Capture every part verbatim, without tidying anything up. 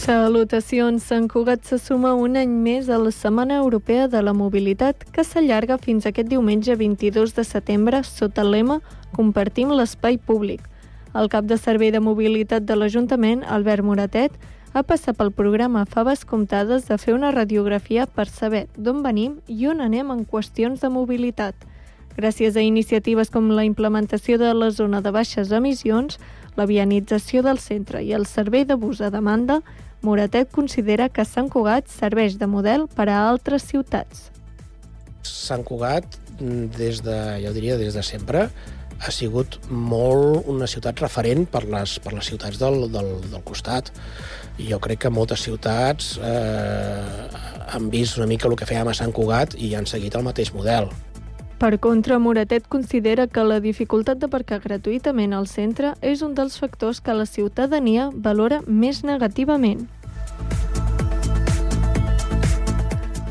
Salutacions, Sant Cugat se suma un any més a la Setmana Europea de la Mobilitat, que s'allarga fins aquest diumenge vint-i-dos de setembre sota el lema Compartim l'espai públic. El cap de servei de mobilitat de l'Ajuntament, Albert Moratet, ha passat pel programa Faves Comptades de fer una radiografia per saber d'on venim i on anem en qüestions de mobilitat. Gràcies a iniciatives com la implementació de la zona de baixes emissions, la vianització del centre i el servei de bus a demanda, Moratet considera que Sant Cugat serveix de model per a altres ciutats. Sant Cugat, des de, jo diria des de sempre, ha sigut molt una ciutat referent per les, per les ciutats del, del, del costat. I jo crec que moltes ciutats eh, han vist una mica el que fèiem a Sant Cugat i han seguit el mateix model. Per contra, Moratet considera que la dificultat d'aparcar gratuïtament al centre és un dels factors que la ciutadania valora més negativament.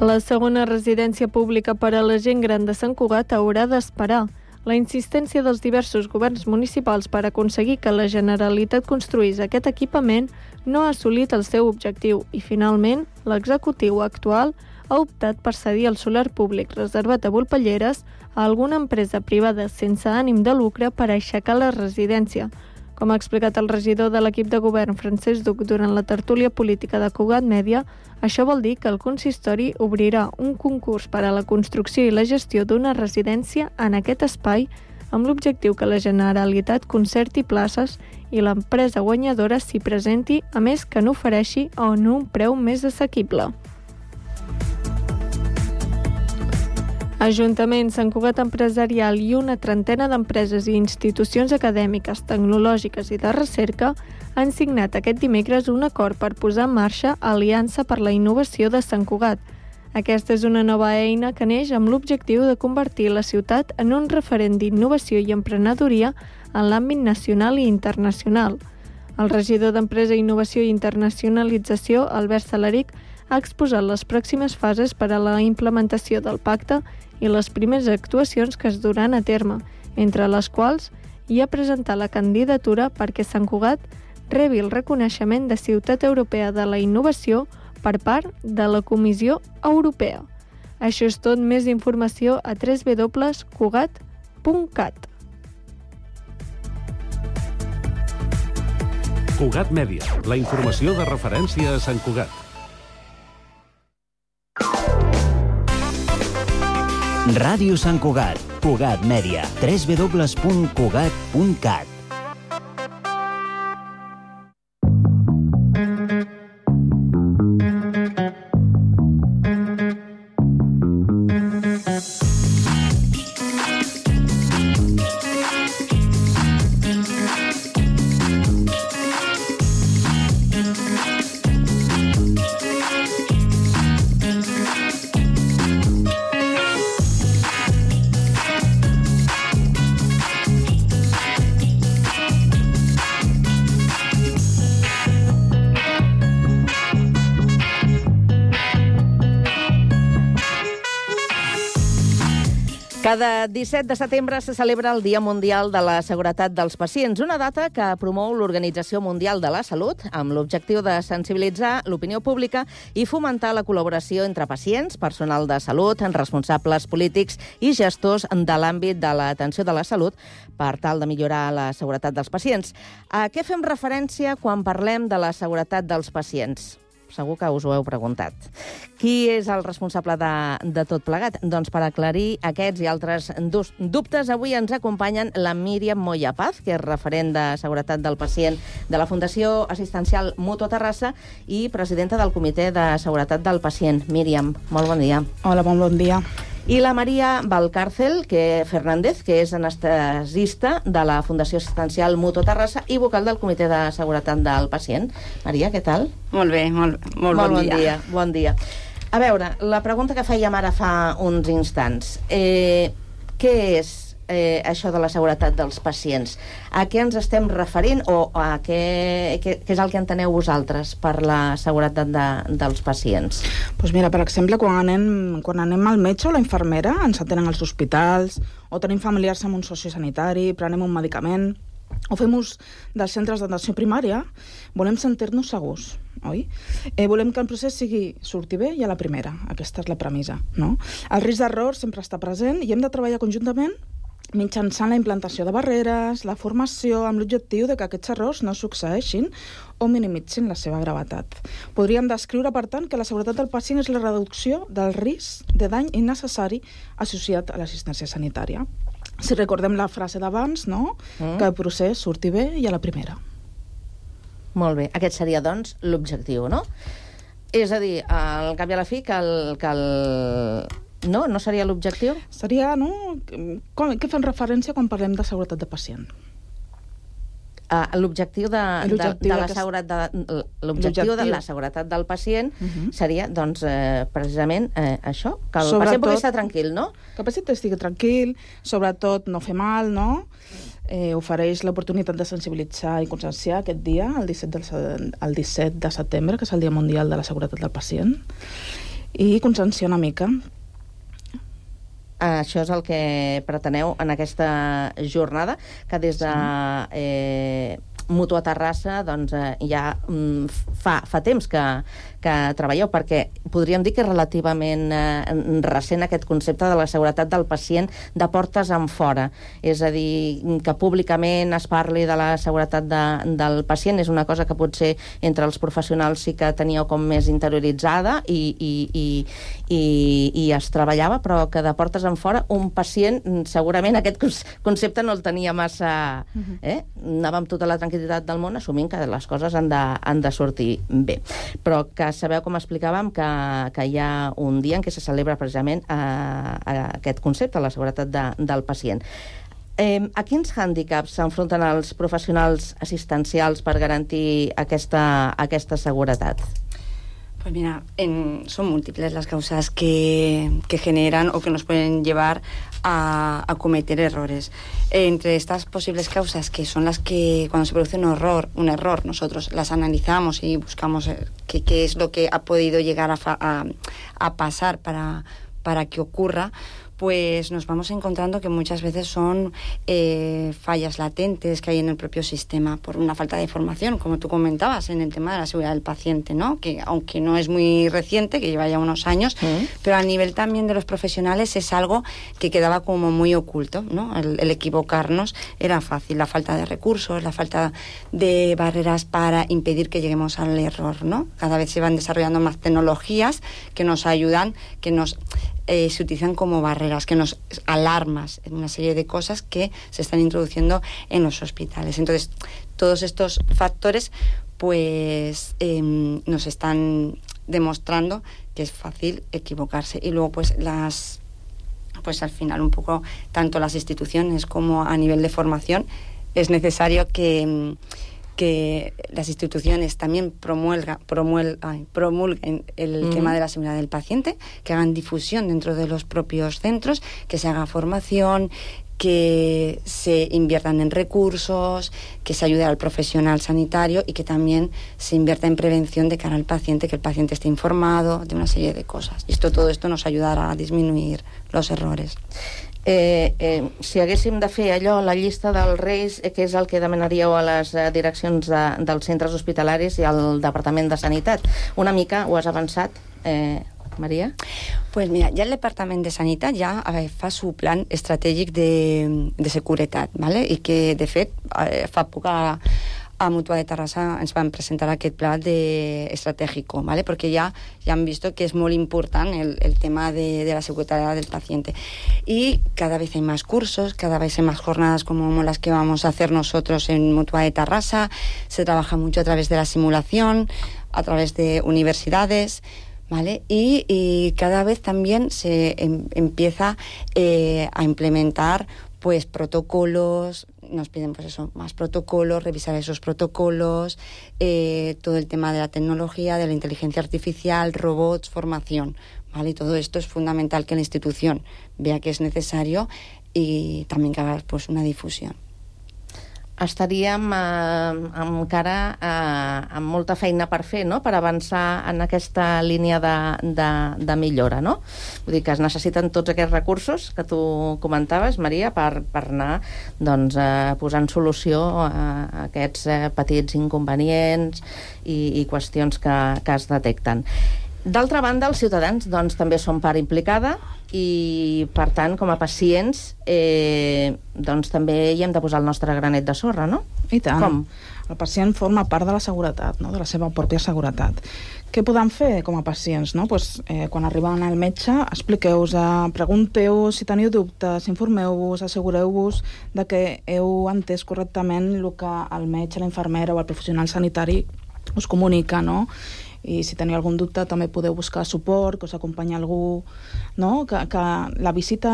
La segona residència pública per a la gent gran de Sant Cugat haurà d'esperar. La insistència dels diversos governs municipals per aconseguir que la Generalitat construís aquest equipament no ha assolit el seu objectiu i, finalment, l'executiu actual ha optat per cedir el solar públic reservat a Volpelleres a alguna empresa privada sense ànim de lucre per aixecar la residència. Com ha explicat el regidor de l'equip de govern, Francesc Duc, durant la tertúlia política de Cugat Mèdia, això vol dir que el consistori obrirà un concurs per a la construcció i la gestió d'una residència en aquest espai amb l'objectiu que la Generalitat concerti places i l'empresa guanyadora s'hi presenti, a més que n'ofereixi a un preu més assequible. Ajuntament, Sant Cugat Empresarial i una trentena d'empreses i institucions acadèmiques, tecnològiques i de recerca han signat aquest dimecres un acord per posar en marxa Aliança per la Innovació de Sant Cugat. Aquesta és una nova eina que neix amb l'objectiu de convertir la ciutat en un referent d'innovació i emprenedoria en l'àmbit nacional i internacional. El regidor d'Empresa, Innovació i Internacionalització, Albert Salaric, ha exposat les pròximes fases per a la implementació del pacte i les primeres actuacions que es duran a terme, entre les quals hi ha presentat la candidatura perquè Sant Cugat rebi el reconeixement de Ciutat Europea de la Innovació per part de la Comissió Europea. Això és tot, més informació a w w w punt cugat punt cat. Cugat Mèdia, la informació de referència a Sant Cugat. Ràdio Sant Cugat, Cugat Mèdia, w w w punt cugat punt cat. Cada disset de setembre se celebra el Dia Mundial de la Seguretat dels Pacients, una data que promou l'Organització Mundial de la Salut amb l'objectiu de sensibilitzar l'opinió pública i fomentar la col·laboració entre pacients, personal de salut, responsables polítics i gestors de l'àmbit de l'atenció de la salut per tal de millorar la seguretat dels pacients. A què fem referència quan parlem de la seguretat dels pacients? Segur que us ho heu preguntat. Qui és el responsable de, de tot plegat? Doncs per aclarir aquests i altres dubtes, avui ens acompanyen la Míriam Moya Paz, que és referent de seguretat del pacient de la Fundació Assistencial Mutua Terrassa i presidenta del Comitè de Seguretat del Pacient. Míriam, molt bon dia. Hola, molt bon dia. I la Maria Valcárcel que Fernández, que és anestesista de la Fundació Assistencial Mutua Terrassa i vocal del Comitè de Seguretat del Pacient. Maria, què tal? Molt bé, molt, molt, molt bon, bon dia. dia. Bon dia. A veure, la pregunta que fèiem ara fa uns instants. Eh, què és eh, això de la seguretat dels pacients? A què ens estem referint o a què, què, què és el que enteneu vosaltres per la seguretat de, dels pacients? Pues mira, per exemple, quan anem, quan anem al metge o la infermera, ens atenen als hospitals, o tenim familiars amb un sociosanitari, prenem un medicament, o fem ús dels centres d'atenció primària, volem sentir-nos segurs, oi? Eh, volem que el procés sigui surti bé i a la primera. Aquesta és la premissa, no? El risc d'error sempre està present i hem de treballar conjuntament mitjançant la implantació de barreres, la formació, amb l'objectiu de que aquests errors no succeeixin o minimitzin la seva gravetat. Podríem descriure, per tant, que la seguretat del pacient és la reducció del risc de dany innecessari associat a l'assistència sanitària. Si recordem la frase d'abans, no? Mm. Que el procés surti bé i a la primera. Molt bé. Aquest seria, doncs, l'objectiu, no? És a dir, al cap i a la fi, que el... Que el... No? No seria l'objectiu? Seria, no? Com, què fem referència quan parlem de seguretat de pacient? Uh, l'objectiu de, de, de la seguretat de, l'objectiu de la seguretat del pacient uh -huh. seria, doncs, eh, precisament eh, això, que el sobretot, pacient pugui estar tranquil, no? Que el pacient estigui tranquil, sobretot no fer mal, no? Eh, ofereix l'oportunitat de sensibilitzar i conscienciar aquest dia, el disset, del, el disset de setembre, que és el Dia Mundial de la Seguretat del Pacient, i conscienciar una mica. Això és el que preteneu en aquesta jornada, que des de eh, Mútua Terrassa doncs, eh, ja mm, fa, fa temps que, que treballeu, perquè podríem dir que és relativament eh, recent aquest concepte de la seguretat del pacient de portes en fora. És a dir, que públicament es parli de la seguretat de, del pacient és una cosa que potser entre els professionals sí que teníeu com més interioritzada i, i, i, i, i es treballava, però que de portes en fora un pacient, segurament aquest concepte no el tenia massa... Eh? Anava amb tota la tranquil·litat del món, assumint que les coses han de, han de sortir bé. Però que sabeu, com explicàvem, que, que hi ha un dia en què se celebra precisament eh, aquest concepte, la seguretat de, del pacient. Eh, a quins hàndicaps s'enfronten els professionals assistencials per garantir aquesta, aquesta seguretat? Pues mira, en, son múltiples las causas que, que generan o que nos pueden llevar a, a cometer errores. Entre estas posibles causas, que son las que cuando se produce un error, un error nosotros las analizamos y buscamos qué, qué es lo que ha podido llegar a, a, a pasar para, para que ocurra, pues nos vamos encontrando que muchas veces son eh, fallas latentes que hay en el propio sistema por una falta de formación, como tú comentabas, en el tema de la seguridad del paciente, ¿no? Que aunque no es muy reciente, que lleva ya unos años, ¿Mm? pero a nivel también de los profesionales es algo que quedaba como muy oculto, ¿no? El, el equivocarnos era fácil, la falta de recursos, la falta de barreras para impedir que lleguemos al error, ¿no? Cada vez se van desarrollando más tecnologías que nos ayudan, que nos... Eh, se utilizan como barreras, que nos alarmas, una serie de cosas que se están introduciendo en los hospitales. Entonces, todos estos factores pues eh, nos están demostrando que es fácil equivocarse. Y luego pues las pues al final un poco tanto las instituciones como a nivel de formación es necesario que que las instituciones también promulga, promulga, ay, promulguen el mm. tema de la seguridad del paciente, que hagan difusión dentro de los propios centros, que se haga formación, que se inviertan en recursos, que se ayude al profesional sanitario y que también se invierta en prevención de cara al paciente, que el paciente esté informado de una serie de cosas. Y esto, todo esto nos ayudará a disminuir los errores. Eh, eh, si haguéssim de fer allò, la llista dels reis, eh, que és el que demanaríeu a les eh, direccions de, dels centres hospitalaris i al Departament de Sanitat, una mica ho has avançat, eh, Maria? Pues mira, ya el Departament de Sanitat ja eh, fa su plan estratègic de, de seguretat, ¿vale? I que, de fet, eh, fa poc a, a Mútua de Terrassa ens van presentar aquest pla de estratègico, ¿vale? Porque ya, ya han visto que es muy importante el, el tema de, de la seguridad del paciente. Y cada vez hay más cursos, cada vez hay más jornadas como las que vamos a hacer nosotros en Mútua de Terrassa. Se trabaja mucho a través de la simulación, a través de universidades, ¿vale? Y, y cada vez también se em, empieza eh, a implementar pues protocolos, nos piden pues eso, más protocolos, revisar esos protocolos, eh, todo el tema de la tecnología, de la inteligencia artificial, robots, formación, ¿vale? Y todo esto es fundamental que la institución vea que es necesario y también que haga pues una difusión. estaríem eh, encara eh, amb molta feina per fer, no?, per avançar en aquesta línia de, de, de millora, no? Vull dir que es necessiten tots aquests recursos que tu comentaves, Maria, per, per anar doncs, eh, posant solució a aquests eh, petits inconvenients i, i qüestions que, que es detecten. D'altra banda, els ciutadans doncs, també són part implicada i, per tant, com a pacients, eh, doncs, també hi hem de posar el nostre granet de sorra, no? I tant. Com? El pacient forma part de la seguretat, no?, de la seva pròpia seguretat. Què podem fer com a pacients? No? Pues, eh, quan arriben al metge, expliqueu-vos, pregunteu si teniu dubtes, informeu-vos, assegureu-vos de que heu entès correctament el que el metge, la infermera o el professional sanitari us comunica, no? I si teniu algun dubte també podeu buscar suport, que us acompanyi algú, no? Que, que la visita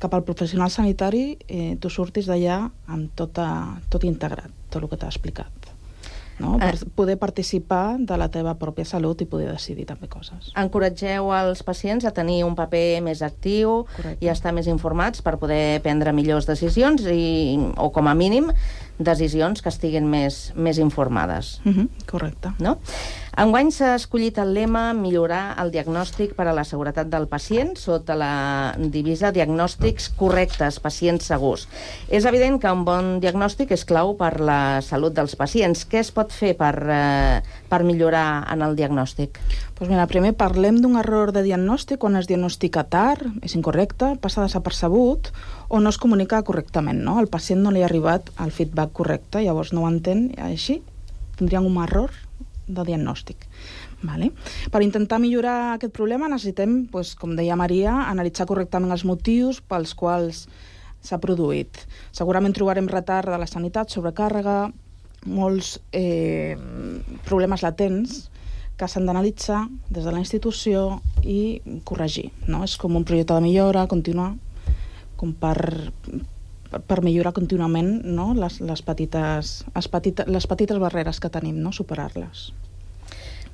cap al professional sanitari eh, tu surtis d'allà amb tota, tot integrat, tot el que t'ha explicat, no? Per eh. poder participar de la teva pròpia salut i poder decidir també coses. Encoratgeu els pacients a tenir un paper més actiu. Correcte. I a estar més informats per poder prendre millors decisions i, o com a mínim decisions que estiguin més, més informades. Uh-huh. Correcte. No? Enguany s'ha escollit el lema millorar el diagnòstic per a la seguretat del pacient sota la divisa diagnòstics correctes, pacients segurs. És evident que un bon diagnòstic és clau per la salut dels pacients. Què es pot fer per, eh, per millorar en el diagnòstic? Pues mira, primer parlem d'un error de diagnòstic quan es diagnostica tard, és incorrecte, passa desapercebut o no es comunica correctament, no? Al pacient no li ha arribat el feedback correcte, llavors no ho entén, així tindríem un error de diagnòstic. Vale? Per intentar millorar aquest problema necessitem, pues, com deia Maria, analitzar correctament els motius pels quals s'ha produït. Segurament trobarem retard de la sanitat, sobrecàrrega, molts eh, problemes latents que s'han d'analitzar des de la institució i corregir, no? És com un projecte de millora, continuar, com per, per millorar contínuament, no? les, les, petites, les, petita, les petites barreres que tenim, no? Superar-les.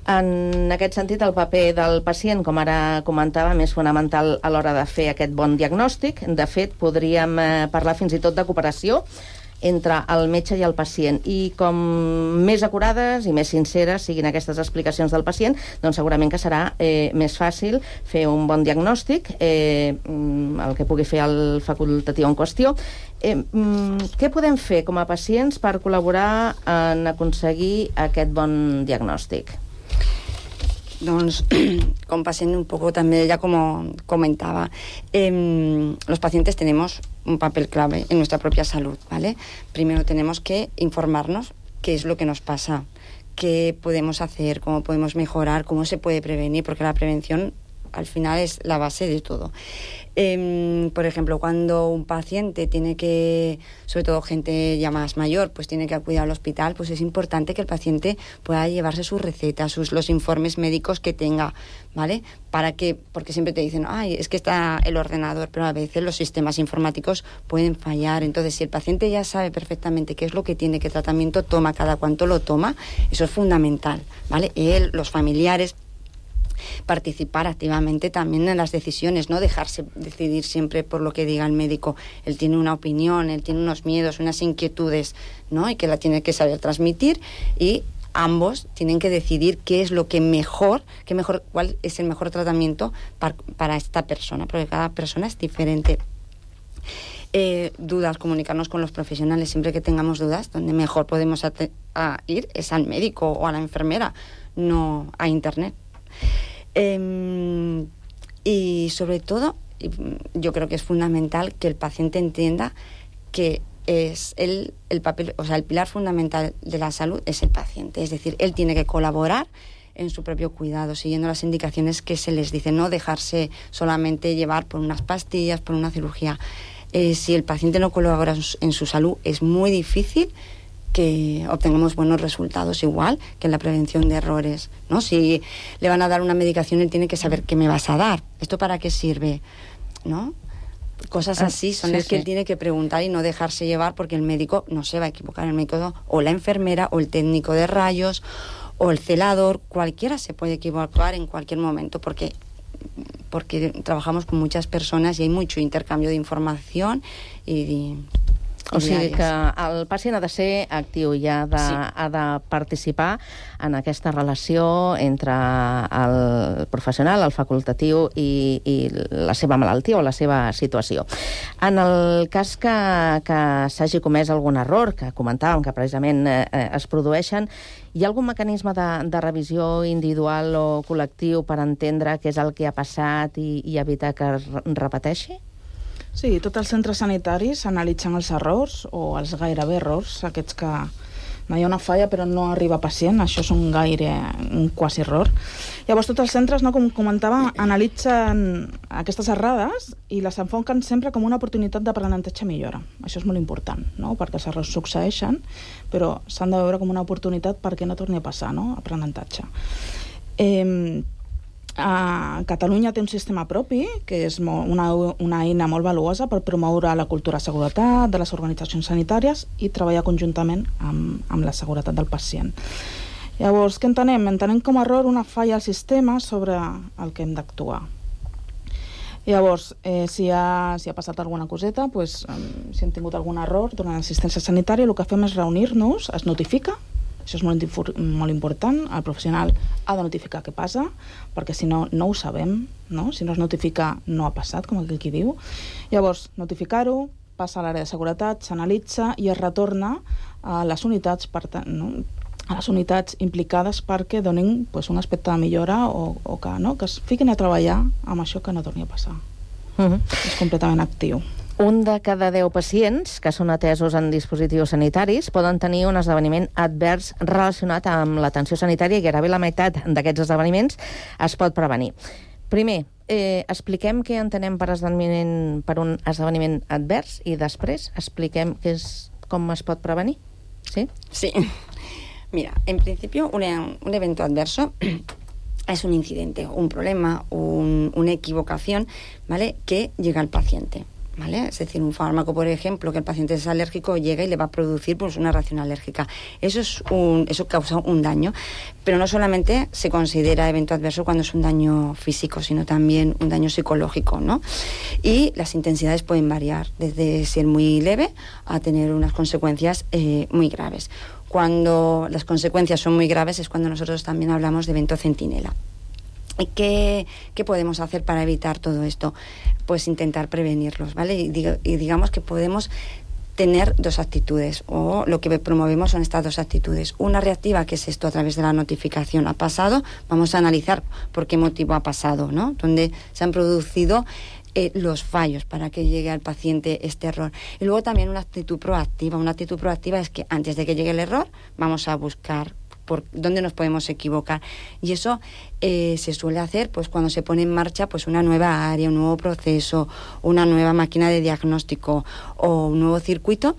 En aquest sentit, el paper del pacient, com ara comentàvem, és fonamental a l'hora de fer aquest bon diagnòstic. De fet, podríem parlar fins i tot de cooperació entre el metge i el pacient. I com més acurades i més sinceres siguin aquestes explicacions del pacient, doncs segurament que serà eh, més fàcil fer un bon diagnòstic, eh, el que pugui fer el facultatiu en qüestió. Eh, què podem fer com a pacients per col·laborar en aconseguir aquest bon diagnòstic? Doncs, con paciente un poco también, ya como comentaba, eh, los pacientes tenemos un papel clave en nuestra propia salud, ¿vale? Primero tenemos que informarnos qué es lo que nos pasa, qué podemos hacer, cómo podemos mejorar, cómo se puede prevenir, porque la prevención al final es la base de todo. Eh, por ejemplo, cuando un paciente tiene que, sobre todo gente ya más mayor, pues tiene que acudir al hospital, pues es importante que el paciente pueda llevarse sus recetas, sus, los informes médicos que tenga, ¿vale? Para que, porque siempre te dicen, ay, es que está el ordenador, pero a veces los sistemas informáticos pueden fallar. Entonces, si el paciente ya sabe perfectamente qué es lo que tiene, qué tratamiento toma, cada cuánto lo toma, eso es fundamental, ¿vale? Él, los familiares, participar activamente también en las decisiones, no dejarse decidir siempre por lo que diga el médico. Él tiene una opinión, él tiene unos miedos, unas inquietudes, ¿no? Y que la tiene que saber transmitir, y ambos tienen que decidir qué es lo que mejor, qué mejor, cuál es el mejor tratamiento para, para esta persona, porque cada persona es diferente. Eh, dudas, comunicarnos con los profesionales siempre que tengamos dudas. Donde mejor podemos a, a ir es al médico o a la enfermera, no a internet. Eh, y sobre todo, yo creo que es fundamental que el paciente entienda que es el, el papel, o sea, el pilar fundamental de la salud es el paciente. Es decir, él tiene que colaborar en su propio cuidado, siguiendo las indicaciones que se les dice, no dejarse solamente llevar por unas pastillas, por una cirugía. Eh, si el paciente no colabora en su salud, es muy difícil que obtengamos buenos resultados, igual que en la prevención de errores, ¿no? Si le van a dar una medicación, él tiene que saber qué me vas a dar, esto para qué sirve, ¿no? Cosas así son sí, las que sí. él tiene que preguntar y no dejarse llevar, porque el médico no se va a equivocar, el médico o la enfermera o el técnico de rayos o el celador, cualquiera se puede equivocar en cualquier momento, porque porque trabajamos con muchas personas y hay mucho intercambio de información y de, O sigui que el pacient ha de ser actiu i ha de, sí. ha de participar en aquesta relació entre el professional, el facultatiu i, i la seva malaltia o la seva situació. En el cas que, que s'hagi comès algun error, que comentàvem que precisament eh, es produeixen, hi ha algun mecanisme de, de revisió individual o col·lectiu per entendre què és el que ha passat i, i evitar que es repeteixi? Sí, tots els centres sanitaris analitzen els errors o els gairebé errors, aquests que no hi ha una falla però no arriba pacient, això és un gaire, un quasi error. Llavors tots els centres, no, com comentava, analitzen aquestes errades i les enfoquen sempre com una oportunitat d'aprenentatge millora. Això és molt important, no? Perquè els errors succeeixen, però s'han de veure com una oportunitat perquè no torni a passar, no? Aprenentatge. Eh, A Catalunya té un sistema propi, que és una, una eina molt valuosa per promoure la cultura de seguretat de les organitzacions sanitàries i treballar conjuntament amb, amb la seguretat del pacient. Llavors, què entenem? Entenem com a error una falla al sistema sobre el que hem d'actuar. Llavors, eh, si, ha, si ha passat alguna coseta, pues, eh, si hem tingut algun error durant l'assistència sanitària, el que fem és reunir-nos, es notifica. Això és molt, molt important, el professional ha de notificar què passa, perquè si no, no ho sabem, no? Si no es notifica, no ha passat, com aquell qui diu. Llavors, notificar-ho, passa a l'àrea de seguretat, s'analitza i es retorna a les unitats, per tant, no? a les unitats implicades perquè donin pues, un aspecte de millora o, o que, no? que es fiquin a treballar amb això que no torni a passar. Uh-huh. És completament actiu. Un de cada deu pacients que són atesos en dispositius sanitaris poden tenir un esdeveniment advers relacionat amb l'atenció sanitària i gairebé la meitat d'aquests esdeveniments es pot prevenir. Primer, eh, expliquem què entenem per, esdeveniment, per un esdeveniment advers i després expliquem què és, com es pot prevenir. ¿Sí? Sí. Mira, en principio un, un evento adverso es un incidente, un problema, un, una equivocación, ¿vale?, que llega al paciente. ¿Vale? Es decir, un fármaco, por ejemplo, que el paciente es alérgico, llega y le va a producir pues, una reacción alérgica. Eso, es un, eso causa un daño. Pero no solamente se considera evento adverso cuando es un daño físico, sino también un daño psicológico, ¿no? Y las intensidades pueden variar, desde ser muy leve a tener unas consecuencias eh, muy graves. Cuando las consecuencias son muy graves es cuando nosotros también hablamos de evento centinela. ¿Qué, ¿Qué podemos hacer para evitar todo esto? Pues intentar prevenirlos, ¿vale? Y, diga, y digamos que podemos tener dos actitudes, o lo que promovemos son estas dos actitudes. Una reactiva, que es esto a través de la notificación. Ha pasado, vamos a analizar por qué motivo ha pasado, ¿no? Donde se han producido eh, los fallos para que llegue al paciente este error. Y luego también una actitud proactiva. Una actitud proactiva es que antes de que llegue el error, vamos a buscar por dónde nos podemos equivocar. Y eso eh, se suele hacer pues cuando se pone en marcha pues una nueva área, un nuevo proceso, una nueva máquina de diagnóstico o un nuevo circuito.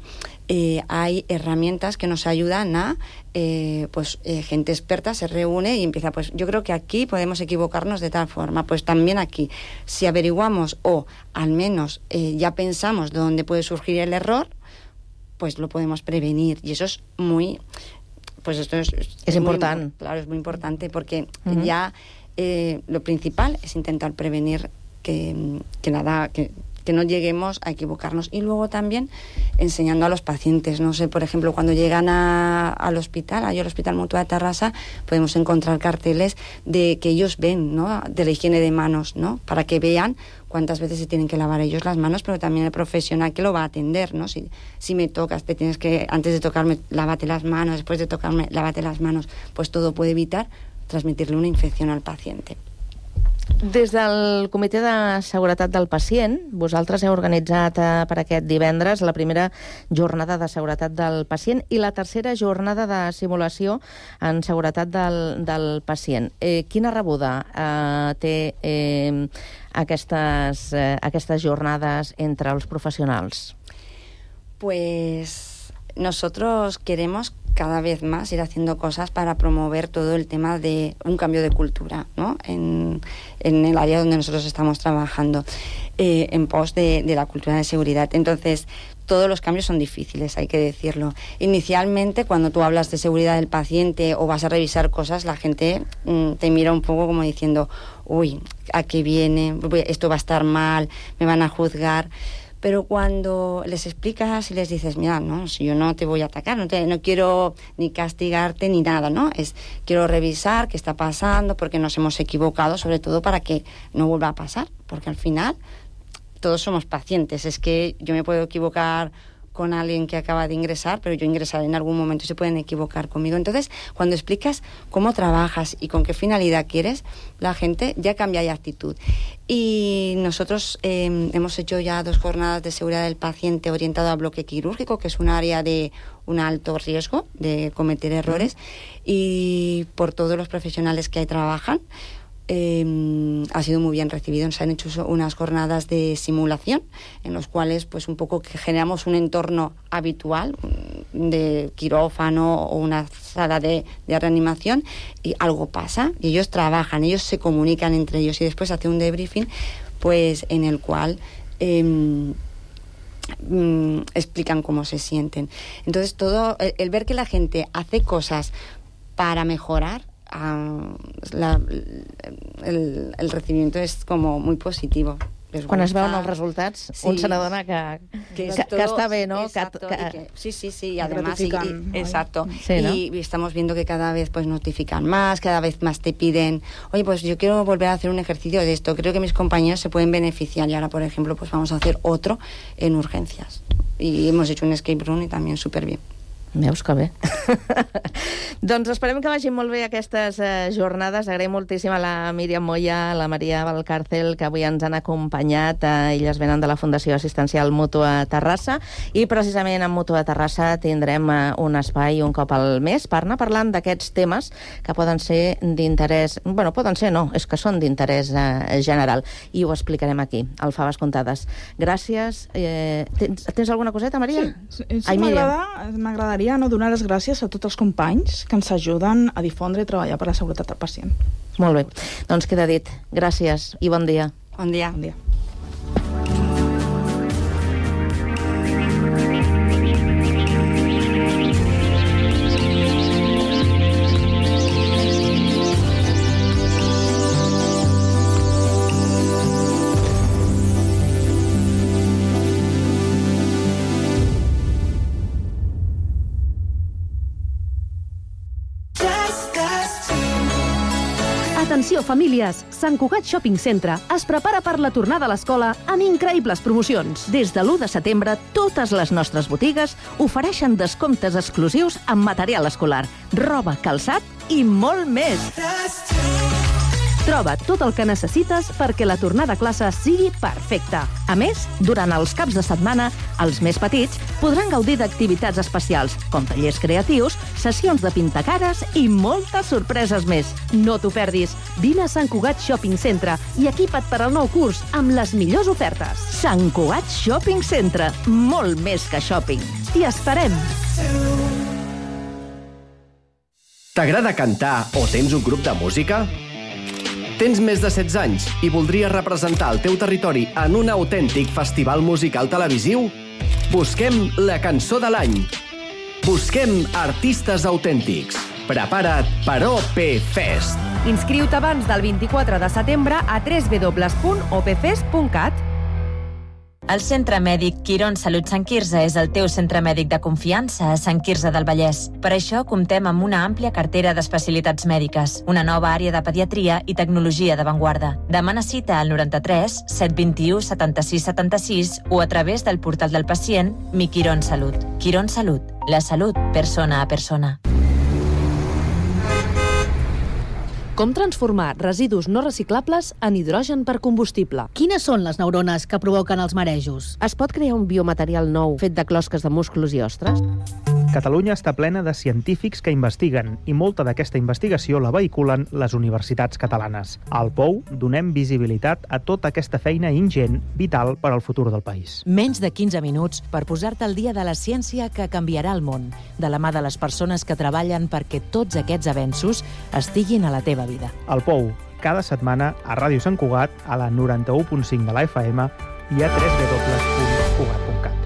Eh, hay herramientas que nos ayudan a eh, pues eh, gente experta se reúne y empieza, pues yo creo que aquí podemos equivocarnos de tal forma, pues también aquí si averiguamos o al menos eh, ya pensamos dónde puede surgir el error, pues lo podemos prevenir, y eso es muy pues esto es, es, es importante. Muy, claro, es muy importante porque uh-huh. ya eh, lo principal es intentar prevenir que, que nada, que, que no lleguemos a equivocarnos. Y luego también enseñando a los pacientes, no sé, por ejemplo, cuando llegan a, al hospital, ahí al Hospital Mutua de Tarrasa, podemos encontrar carteles de que ellos ven, ¿no?, de la higiene de manos, ¿no?, para que vean cuántas veces se tienen que lavar ellos las manos, pero también el profesional que lo va a atender, ¿no? Si, si me tocas, te tienes que, antes de tocarme, lávate las manos, después de tocarme, lávate las manos, pues todo puede evitar transmitirle una infección al paciente. Des del Comitè de Seguretat del Pacient, vosaltres heu organitzat eh, per aquest divendres la primera jornada de seguretat del pacient i la tercera jornada de simulació en seguretat del, del pacient. Eh, quina rebuda eh, té eh, aquestes, eh, aquestes jornades entre els professionals? Pues nosotros queremos cada vez más ir haciendo cosas para promover todo el tema de un cambio de cultura, ¿no?, en, en el área donde nosotros estamos trabajando, eh, en pos de, de la cultura de seguridad. Entonces, todos los cambios son difíciles, hay que decirlo. Inicialmente, cuando tú hablas de seguridad del paciente o vas a revisar cosas, la gente mm, te mira un poco como diciendo, uy, ¿a qué viene? Esto va a estar mal, me van a juzgar. Pero cuando les explicas y les dices, mira, no, si yo no te voy a atacar, no, te, no quiero ni castigarte ni nada, ¿no? Es, quiero revisar qué está pasando, porque nos hemos equivocado, sobre todo para que no vuelva a pasar, porque al final todos somos pacientes. Es que yo me puedo equivocar con alguien que acaba de ingresar, pero yo ingresaré en algún momento y se pueden equivocar conmigo. Entonces, cuando explicas cómo trabajas y con qué finalidad quieres, la gente ya cambia de actitud. Y nosotros eh, hemos hecho ya dos jornadas de seguridad del paciente orientado a bloque quirúrgico, que es un área de un alto riesgo de cometer errores, y por todos los profesionales que ahí trabajan, Eh, ha sido muy bien recibido. Se han hecho unas jornadas de simulación en los cuales pues un poco que generamos un entorno habitual de quirófano o una sala de, de reanimación, y algo pasa y ellos trabajan, ellos se comunican entre ellos y después hace un debriefing pues en el cual eh, mm, explican cómo se sienten. Entonces todo el, el ver que la gente hace cosas para mejorar, Uh, la, el, el recibimiento és com muy positivo. Quan es veuen els resultats, sí, un se n'adona que, que, que, que està bé, ¿no? Exacto, que, que, que, sí, sí, sí, y además, y, y, exacto, sí, ¿no? y, y estamos viendo que cada vez pues notifican más, cada vez más te piden, oye, pues yo quiero volver a hacer un ejercicio de esto, creo que mis compañeros se pueden beneficiar, y ahora, por ejemplo, pues vamos a hacer otro en urgencias. Y hemos hecho un escape room y también súper bien. Veus que bé. Doncs esperem que vagin molt bé aquestes eh, jornades. Agraïm moltíssim a la Míriam Moya, a la Maria Valcárcel, que avui ens han acompanyat. Eh, elles venen de la Fundació Assistencial Mútua Terrassa, i precisament en Mútua Terrassa tindrem eh, un espai un cop al mes per anar parlant d'aquests temes que poden ser d'interès... Bueno, poden ser, no, és que són d'interès eh, general, i ho explicarem aquí, al Faves Comptades. Gràcies. Eh, tens, tens alguna coseta, Maria? Sí, sí, m'agradaria no donar les gràcies a tots els companys que ens ajuden a difondre i treballar per la seguretat del pacient. Molt bé, doncs queda dit. Gràcies i bon dia. Bon dia. Bon dia. Atenció, famílies! Sant Cugat Shopping Centre es prepara per la tornada a l'escola amb increïbles promocions. Des de l'u de setembre, totes les nostres botigues ofereixen descomptes exclusius en material escolar, roba, calçat i molt més. Troba tot el que necessites perquè la tornada a classe sigui perfecta. A més, durant els caps de setmana, els més petits podran gaudir d'activitats especials, com tallers creatius, sessions de pintacares i moltes sorpreses més. No t'ho perdis. Vine a Sant Cugat Shopping Centre i equipa't per al nou curs amb les millors ofertes. Sant Cugat Shopping Centre. Molt més que shopping. T'hi esperem! T'agrada cantar o tens un grup de música? Tens més de setze anys i voldries representar el teu territori en un autèntic festival musical televisiu? Busquem la cançó de l'any. Busquem artistes autèntics. Prepara't per O P Fest. Inscriu-te abans del vint-i-quatre de setembre a w w w punt o p fest punt cat. El Centre Mèdic Quirón Salut Sant Quirze és el teu centre mèdic de confiança a Sant Quirze del Vallès. Per això comptem amb una àmplia cartera d'especialitats mèdiques, una nova àrea de pediatria i tecnologia d'avantguarda. Demana cita al noranta-tres set vint-i-u setanta-sis setanta-sis o a través del portal del pacient Mi Quirón Salut. Quirón Salut, la salut persona a persona. Com transformar residus no reciclables en hidrogen per combustible? Quines són les neurones que provoquen els marejos? Es pot crear un biomaterial nou fet de closques de músculs i ostres? Catalunya està plena de científics que investiguen i molta d'aquesta investigació la vehiculen les universitats catalanes. Al Pou donem visibilitat a tota aquesta feina ingent, vital per al futur del país. Menys de quinze minuts per posar-te al dia de la ciència que canviarà el món, de la mà de les persones que treballen perquè tots aquests avenços estiguin a la teva vida. Al Pou, cada setmana a Ràdio Sant Cugat, a la noranta-u punt cinc de la F M i a w w w punt cugat punt cat.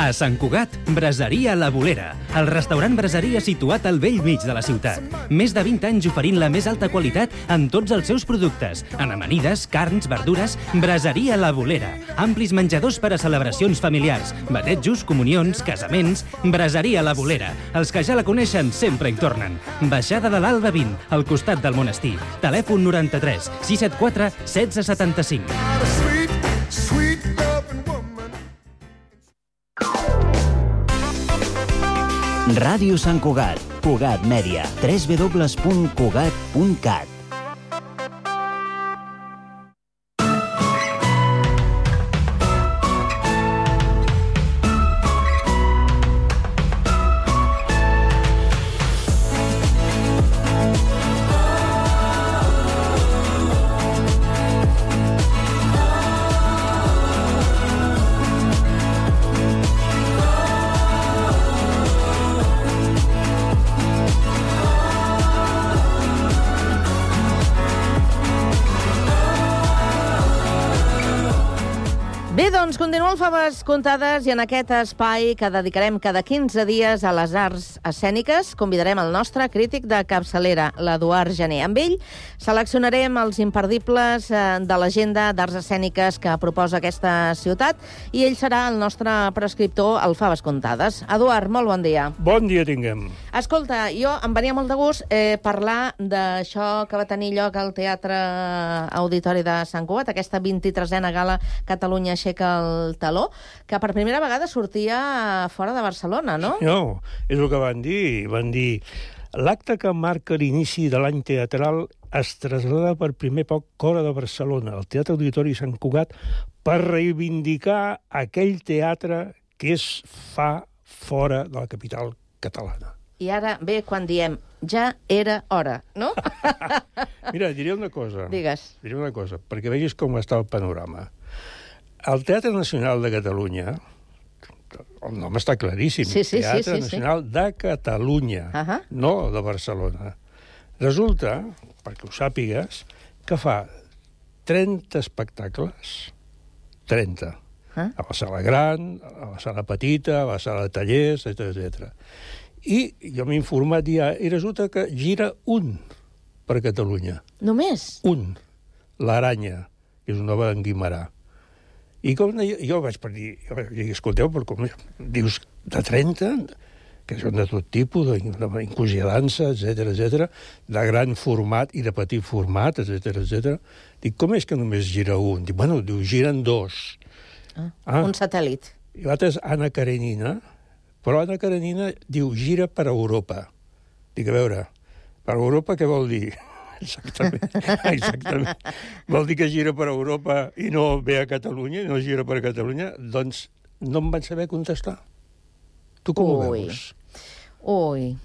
A Sant Cugat, Braseria La Bolera, el restaurant braseria situat al vell mig de la ciutat. Més de vint anys oferint la més alta qualitat en tots els seus productes. En amanides, carns, verdures, Braseria La Bolera. Amplis menjadors per a celebracions familiars, batejos, comunions, casaments... Braseria La Bolera. Els que ja la coneixen sempre hi tornen. Baixada de l'Alba vint, al costat del monestir. Telèfon noranta-tres sis set quatre setze setanta-cinc. Ràdio Sant Cugat, Cugat Mèdia, w w w punt cugat punt cat. Bé, doncs, continua el Faves Contades i en aquest espai que dedicarem cada quinze dies a les arts escèniques convidarem el nostre crític de capçalera, l'Eduard Gené. Amb ell seleccionarem els imperdibles de l'agenda d'arts escèniques que proposa aquesta ciutat i ell serà el nostre prescriptor al Faves Contades. Eduard, molt bon dia. Bon dia tinguem. Escolta, jo em venia molt de gust eh, parlar d'això que va tenir lloc al Teatre Auditori de Sant Cugat, aquesta vint-i-tresena gala Catalunya aixeca el taló, que per primera vegada sortia fora de Barcelona, no? No, és el que van dir. Van dir, l'acte que marca l'inici de l'any teatral es trasllada per primer poc fora de Barcelona, al Teatre Auditori Sant Cugat, per reivindicar aquell teatre que es fa fora de la capital catalana. I ara ve quan diem, ja era hora, no? Mira, diré una cosa. Digues. Diré una cosa, perquè vegis com està el panorama. El Teatre Nacional de Catalunya, el nom està claríssim, sí, sí, Teatre sí, sí, Nacional sí. de Catalunya, uh -huh. no de Barcelona. Resulta, perquè ho sàpigues, que fa trenta espectacles, trenta, uh -huh. a la sala gran, a la sala petita, a la sala de tallers, etcètera. I jo m'he informat ja, i resulta que gira un per Catalunya. Només? Un. L'Aranya, que és una obra d'en Guimarà. I com jo, jo vaig per dir, jo vaig dir, escolteu, però com dius de trenta, que són de tot tipus, d'inclusió de dansa, etcètera, etcètera, de gran format i de petit format, etcètera, etcètera. Dic, com és que només gira un? Dic, bueno, diu, giren dos. Ah, ah. Un satèl·lit. I l'altre és Anna Karenina, però Anna Karenina diu, gira per Europa. Dic, a veure, per Europa què vol dir? Exactament, exactament. Vol dir que gira per Europa i no ve a Catalunya, i no gira per Catalunya? Doncs no em van saber contestar. Tu com Ui. ho veus? Ui,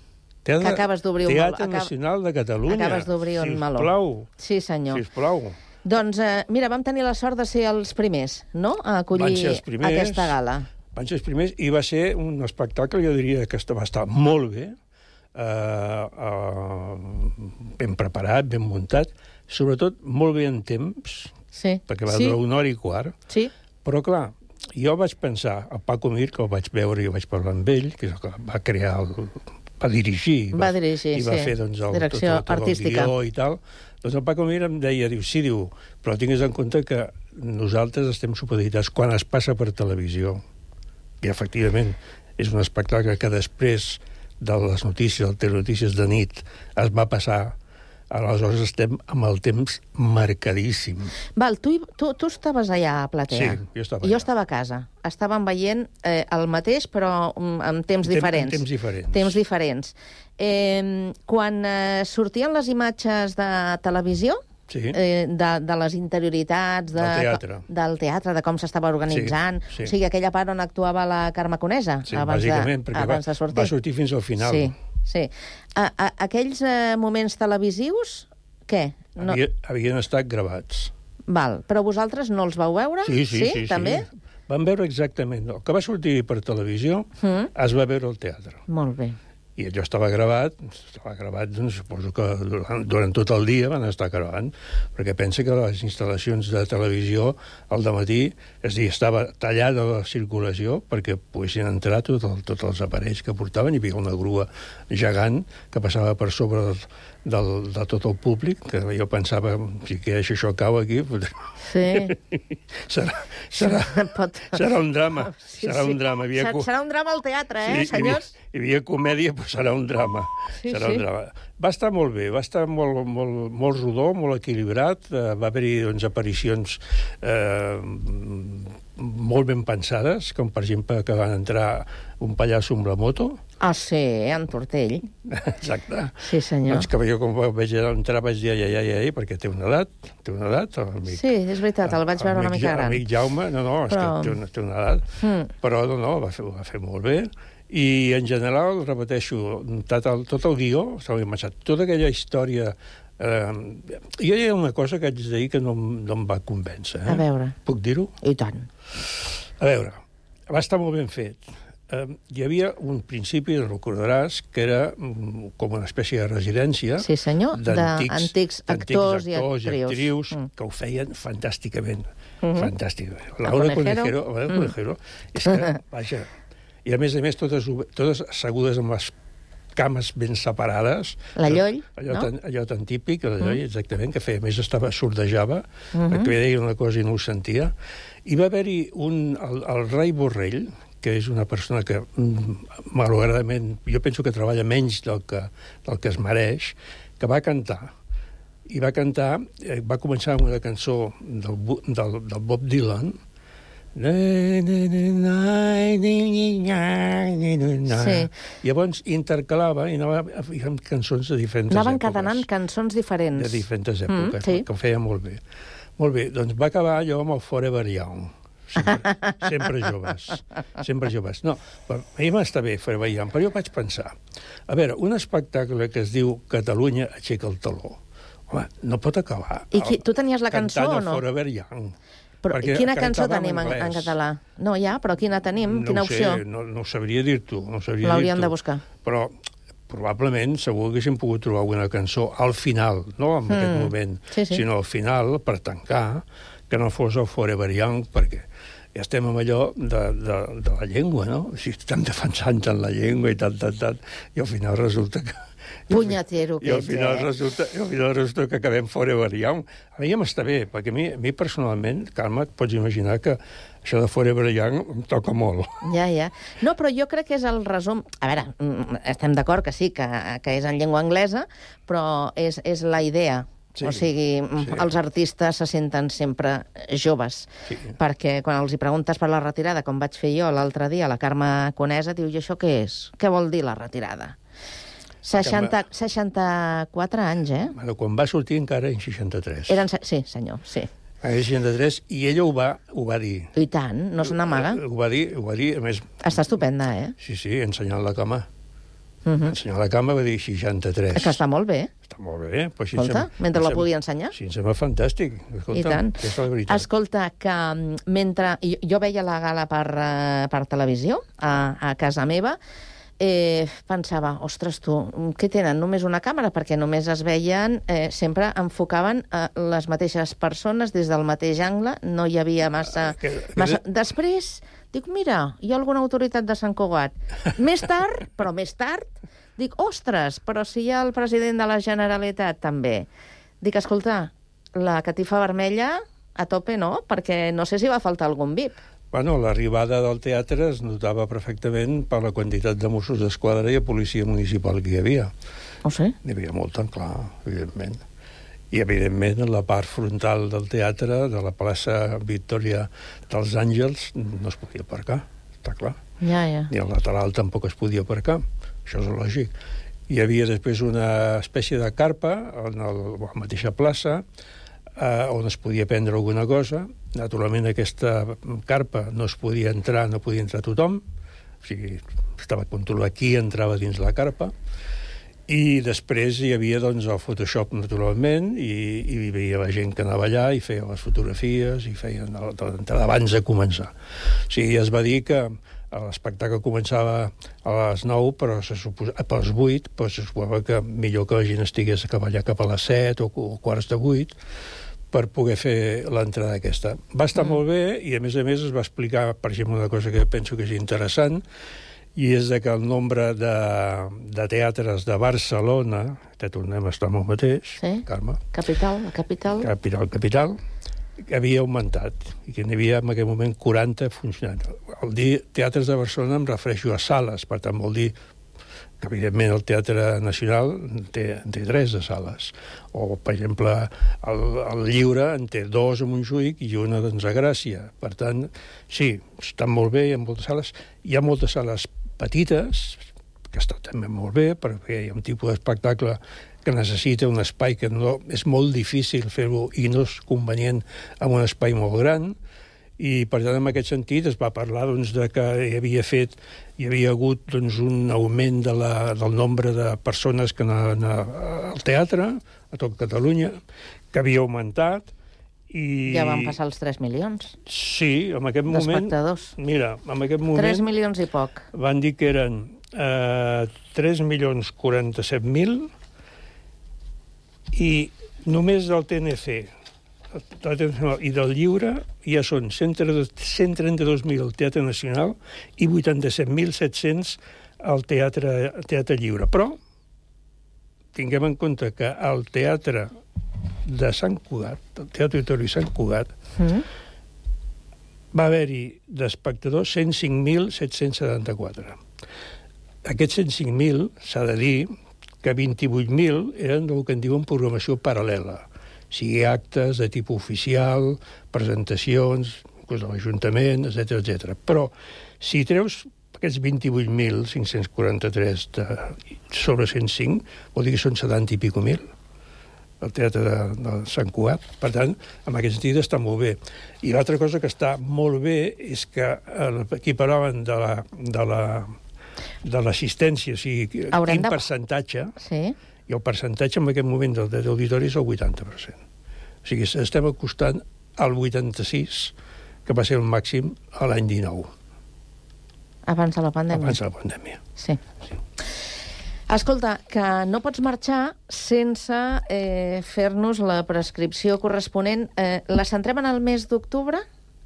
Teatre, que acabes d'obrir un meló. Teatre Nacional de Catalunya. Acabes d'obrir un meló. Sisplau. Sí, senyor. Sisplau. Doncs, eh, mira, vam tenir la sort de ser els primers, no?, a acollir primers, aquesta gala. Van ser els primers, i va ser un espectacle, jo diria que va estar molt bé, Uh, uh, ben preparat, ben muntat, sobretot molt bé en temps, sí. perquè va sí. durar una hora i quart. Sí. Però, clar, jo vaig pensar, el Paco Mir, que el vaig veure i vaig parlar amb ell, que és el que va crear, el, va dirigir, va, va dirigir i va sí. fer doncs, el, direcció tot, tot, tot artística. El guió i tal. Doncs el Paco Mir em deia, diu, sí, diu, però tingues en compte que nosaltres estem supeditats quan es passa per televisió. I, efectivament, és un espectacle que després de les notícies, el telenotícies de nit, es va passar. Aleshores estem amb el temps marcadíssim. Val, tu, tu, tu estaves allà a Platea. Sí, jo estava allà. Jo estava a casa. Estàvem veient eh, el mateix, però amb temps Tem, diferents. Temps diferents. Temps diferents. Eh, quan eh, sortien les imatges de televisió, sí. eh, de, de les interioritats de, del teatre, del teatre, de com s'estava organitzant, sí, sí. o sigui, aquella part on actuava la Carme Conesa, sí, abans, de, abans va, de sortir. va sortir fins al final. Sí, sí. A, a, aquells eh, moments televisius, què? No... Havia, havien estat gravats. Val, però vosaltres no els vau veure? Sí, sí, sí. sí també? Sí. Vam veure exactament. El que va sortir per televisió mm. es va veure al teatre. Molt bé. I allò estava gravat, estava gravat, doncs, suposo que durant, durant tot el dia van estar gravant, perquè pensa que les instal·lacions de televisió al dematí, és a dir, estava tallada la circulació perquè poguessin entrar tots tot, tot els aparells que portaven. Hi havia una grua gegant que passava per sobre del, del, de tot el públic, que jo pensava, si queix això cau aquí, sí. serà, serà, Pot... serà un drama. Sí, serà sí. un drama. Havia... Serà un drama al teatre, eh, sí, senyors? Hi havia, hi havia comèdia, però serà un drama. Sí, serà sí. un drama. Va estar molt bé, va estar molt, molt, molt rodó, molt equilibrat, eh, va haver-hi doncs, aparicions eh, molt ben pensades, com per exemple que van entrar un pallasso amb la moto. Ah, sí, en Tortell. Exacte. Sí, senyor. Doncs que jo quan vaig entrar vaig dir ai, ai, ai, ai, perquè té una edat, té una edat, amic. Sí, és veritat, el vaig veure una mica gran. Amic Jaume, no, no, és però... que té una, té una edat, mm. però no, no, va fer, va fer molt bé. I, en general, repeteixo, tot el, tot el guió, estava imaginat, tota aquella història... Eh, jo hi ha una cosa que haig de dir que no, no em va convèncer. Eh? A veure. Puc dir-ho? I tant. A veure, va estar molt ben fet. Eh, hi havia un principi, recordaràs, que era mm, com una espècie de residència. Sí, senyor, d'antics actors, actors i actrius, i actrius mm. que ho feien fantàsticament. Mm-hmm. Fantàsticament. Laura Conejero, Laura Conejero, mm. és que, vaja... I, a més a més, totes, totes assegudes amb les cames ben separades. La Lloll, allò no? Tan, allò tan típic, la Lloll, mm. exactament, que feia, a més estava sordejava, mm-hmm. que deia una cosa i no ho sentia. I va haver-hi un, el, el Rai Borrell, que és una persona que, malauradament, jo penso que treballa menys del que, del que es mereix, que va cantar. I va cantar, eh, va començar amb una cançó del, del, del Bob Dylan, sí. Llavors intercalava i anava amb cançons de diferents Anaven èpoques. Anaven cadenant cançons diferents. De diferents èpoques, mm, sí. que ho feia molt bé. Molt bé, doncs va acabar allò amb el Forever Young. Sempre, sempre joves. Sempre joves. No, a mi m'està bé Forever Young, però jo vaig pensar, a veure, un espectacle que es diu Catalunya aixeca el taló, home, no pot acabar. I qui, tu tenies la cançó o no? Cantant el Forever Young. Però quina cançó tenim en, en català? No, ja, però quina tenim? No quina opció? Sé, no, no ho sabria dir-t'ho. No l'hauríem de buscar. Però probablement segur que haguéssim pogut trobar alguna cançó al final, no en mm. aquest moment, sí, sí. sinó al final, per tancar, que no fos el Forever Young, perquè ja estem amb allò de, de, de la llengua, no? O sigui, estem defensant tant la llengua i tant, tant, tant, i al final resulta que... Punyatero que I al final, ets, eh? resulta, i al final resulta que acabem Forever Young. A mi ja m'està bé, perquè a mi, a mi personalment, Carme, et pots imaginar que això de Forever Young em toca molt. Ja, ja. No, però jo crec que és el resum... A veure, estem d'acord que sí, que, que és en llengua anglesa, però és, és la idea. Sí, o sigui, sí. Els artistes se senten sempre joves, sí. Perquè quan els hi preguntes per la retirada, com vaig fer jo l'altre dia, la Carme Conesa diu, i això què és? Què vol dir la retirada? seixanta, seixanta-quatre anys, eh? Bueno, quan va sortir encara en seixanta-tres. Eren, sí, senyor, sí. En seixanta-tres, i ella ho va, ho va dir. I tant, no se n'amaga. Ho va dir, ho va dir, a més... Està estupenda, eh? Sí, sí, ensenyant la cama. Uh -huh. Ensenyant la cama va dir seixanta-tres. És que està molt bé. Està molt bé. Però Escolta, sembla, mentre la sembla, pugui ensenyar. Sí, em sembla fantàstic. Escolta, I tant. És la veritat. Escolta, que mentre... Jo, jo veia la gala per, uh, per televisió, a, a casa meva, Eh, pensava, ostres, tu, què tenen? Només una càmera? Perquè només es veien, eh, sempre enfocaven eh, les mateixes persones des del mateix angle, no hi havia massa... Que, que... massa... Després, dic, mira, hi ha alguna autoritat de Sant Cugat. Més tard, però més tard, dic, ostres, però si hi ha el president de la Generalitat també. Dic, escolta, la catifa vermella a tope no, perquè no sé si va faltar algun V I P. Bueno, l'arribada del teatre es notava perfectament per la quantitat de Mossos d'Esquadra i de policia municipal que hi havia. Oh, sí? Hi havia molt tan clar, evidentment. I, evidentment, en la part frontal del teatre, de la plaça Victòria dels Àngels, no es podia aparcar, està clar. Ja, ja. Ni al lateral tampoc es podia aparcar, això és lògic. Hi havia després una espècie de carpa en el, a la mateixa plaça, eh, on es podia prendre alguna cosa. Naturalment, aquesta carpa no es podia entrar, no podia entrar tothom, o sigui, estava controlat qui entrava dins la carpa, i després hi havia doncs, el Photoshop, naturalment, i, i hi havia la gent que anava allà i feia les fotografies i feien l'entrada abans de començar. O sigui, es va dir que l'espectacle començava a les nou, però se suposa, a les vuit, però se suposava que millor que la gent estigués a cavallar cap a les set o, o quarts de vuit per poder fer l'entrada aquesta. Va estar mm. molt bé i, a més a més, es va explicar, per exemple, una cosa que penso que és interessant, i és que el nombre de, de teatres de Barcelona, que tornem a estar amb el mateix, sí? Carme. Capital, la capital. Capital, capital, havia augmentat, i que n'hi havia en aquell moment quaranta funcionant. Al dir teatres de Barcelona em refereixo a sales, per tant vol dir que, evidentment, el Teatre Nacional té, té tres de sales. O, per exemple, el, el Lliure en té dos a Montjuïc i una doncs, a Gràcia. Per tant, sí, estan molt bé, hi ha moltes sales. Hi ha moltes sales petites, que estan també molt bé, perquè hi ha un tipus d'espectacle que necessita un espai que no, és molt difícil fer-ho i no és convenient amb un espai molt gran, i per tant en aquest sentit es va parlar doncs, de que hi havia fet hi havia hagut doncs, un augment de la, del nombre de persones que anaven al teatre a tot Catalunya, que havia augmentat i... Ja van passar els tres milions. Sí, en aquest moment... D'espectadors. Mira, en aquest moment... tres milions i poc. Van dir que eren eh, tres milions quaranta-set mil i només del T N C i del Lliure ja són cent trenta-dos mil al Teatre Nacional i vuitanta-set mil set-cents al Teatre, teatre Lliure. Però tinguem en compte que al Teatre de Sant Cugat, el Teatre Auditori Sant Cugat, mm. va haver-hi d'espectadors cent cinc mil set-cents setanta-quatre. Aquests cent cinc mil, s'ha de dir, que vint-i-vuit mil eren del que en diuen programació paral·lela, sigui actes de tipus oficial, presentacions, de l'Ajuntament, etcètera, etcètera. Però si treus aquests vint-i-vuit mil cinc-cents quaranta-tres de, sobre cent cinc, vol dir que són setanta i pico mil, el Teatre de, de Sant Cugat. Per tant, en aquest sentit està molt bé. I l'altra cosa que està molt bé és que aquí parlaven de la... De la de l'assistència, o sigui, Haurem quin de... percentatge, sí. I el percentatge en aquest moment del dret d'auditori és el vuitanta per cent. O sigui, estem acostant al vuitanta-sis, que va ser el màxim a l'any dinou. Abans de la pandèmia. Abans de la pandèmia. Sí. sí. Escolta, que no pots marxar sense eh, fer-nos la prescripció corresponent. Eh, la centrem en el mes d'octubre?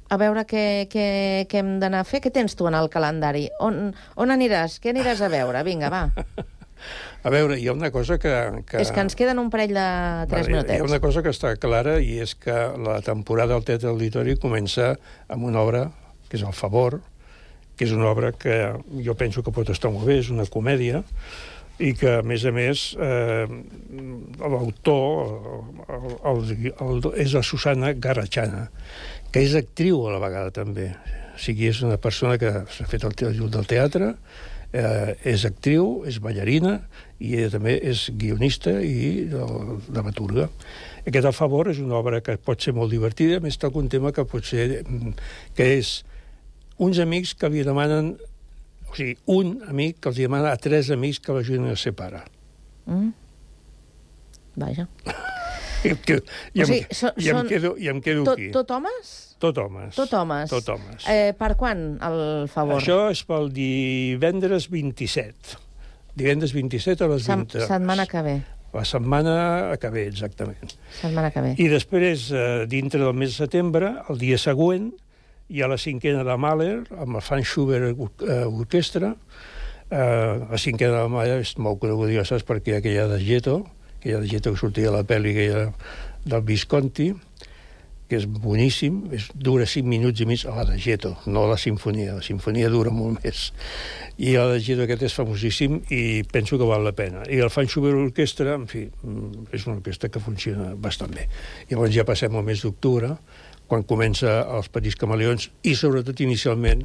A veure què, què, què hem d'anar a fer. Què tens tu en el calendari? On, on aniràs? Què aniràs a veure? Vinga, va. A veure, hi ha una cosa que... que... És que ens queden un parell de tres vale, minutets. Hi ha una cosa que està clara i és que la temporada del Teatre Auditori comença amb una obra que és El Favor, que és una obra que jo penso que pot estar molt bé, és una comèdia, i que, a més a més, eh, l'autor el, el, el, és la Susana Garrachana, que és actriu a la vegada també. O sigui, és una persona que s'ha fet el teatre del teatre, eh, és actriu, és ballarina, i ella també és guionista i dramaturga. Aquest El Favor és una obra que pot ser molt divertida, a més toca un tema que pot ser... que és uns amics que li demanen... O sigui, un amic que els demana a tres amics que l'ajudin a ser pare. Mm. Vaja. I, i, i, o sigui, em, so, i, em quedo, i em quedo tot, aquí. Tot homes? Tot homes. Tot homes. Tot homes. Eh, per quan, El Favor? Això és pel divendres vint-i-set. Divendres vint-i-set a les Sem vint. Setmana que ve. La setmana que ve, exactament. Setmana que ve. I després, eh, dintre del mes de setembre, el dia següent, hi ha la cinquena de Mahler, amb el Franz Schubert eh, Orquestra. Eh, la cinquena de Mahler és molt coneguda, ja saps, perquè hi ha aquella de Gieto, aquella de Gieto que sortia a la pel·li aquella del Visconti, que és boníssim, és, dura cinc minuts i mig, a la de Gieto, no la sinfonia, la sinfonia dura molt més. I la de Gieto aquest és famosíssim i penso que val la pena. I el Franz Schubert Orquestra, en fi, és una orquestra que funciona bastant bé. Llavors ja passem al mes d'octubre, quan comença Els Petits Camaleons i, sobretot, inicialment,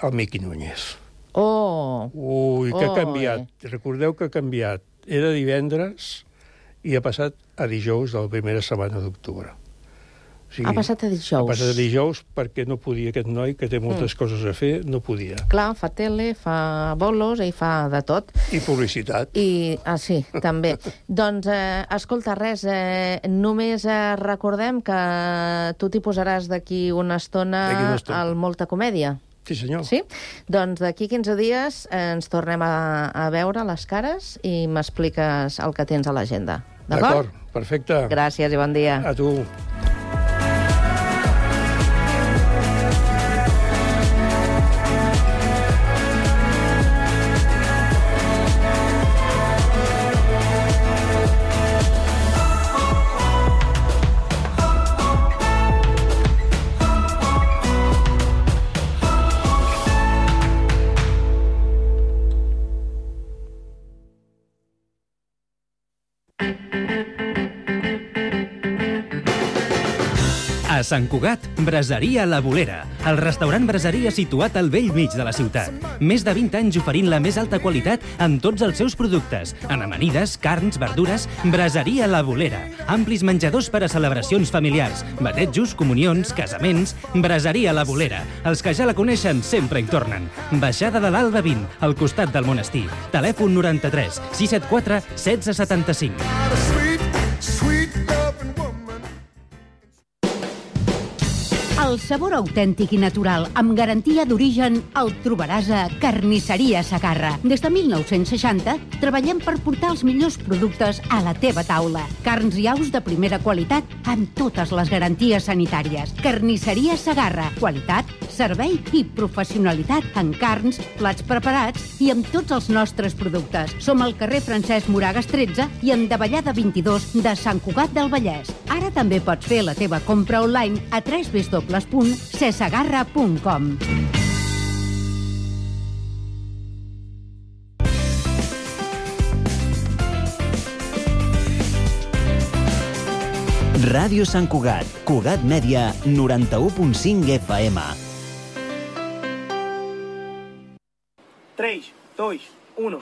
el Miqui Núñez. Oh! Ui, que oh, ha canviat. Eh. Recordeu que ha canviat. Era divendres i ha passat a dijous de la primera setmana d'octubre. O sigui, ha passat a dijous. Ha passat a dijous perquè no podia, aquest noi, que té moltes mm. coses a fer, no podia. Clar, fa tele, fa bolos i fa de tot. I publicitat. I, ah, sí, també. Doncs, eh, escolta, res, eh, només eh, recordem que tu t'hi posaràs d'aquí una estona, una estona al Molta Comèdia. Sí, senyor. Sí? Doncs d'aquí quinze dies ens tornem a, a veure les cares i m'expliques el que tens a l'agenda. D'acord? D'acord, perfecte. Gràcies i bon dia. A tu. A Sant Cugat, Braseria La Bolera, el restaurant braseria situat al bell mig de la ciutat. Més de vint anys oferint la més alta qualitat en tots els seus productes. En amanides, carns, verdures, Braseria La Bolera. Amplis menjadors per a celebracions familiars, batejos, comunions, casaments. Braseria La Bolera. Els que ja la coneixen sempre hi tornen. Baixada de l'Alba vint, al costat del monestir. Telèfon noranta-tres sis set quatre setze setanta-cinc. El sabor autèntic i natural, amb garantia d'origen, el trobaràs a Carnisseria Segarra. Des de mil nou-cents seixanta, treballem per portar els millors productes a la teva taula. Carns i aus de primera qualitat, amb totes les garanties sanitàries. Carnisseria Segarra. Qualitat, servei i professionalitat en carns, plats preparats i amb tots els nostres productes. Som al carrer Francesc Moragas tretze i en Davallada vint-i-dos de Sant Cugat del Vallès. Ara també pots fer la teva compra online a w w w punt cesegarra punt com. Ràdio Sant Cugat, Cugat Mèdia, noranta-u punt cinc F M. três, dois, um.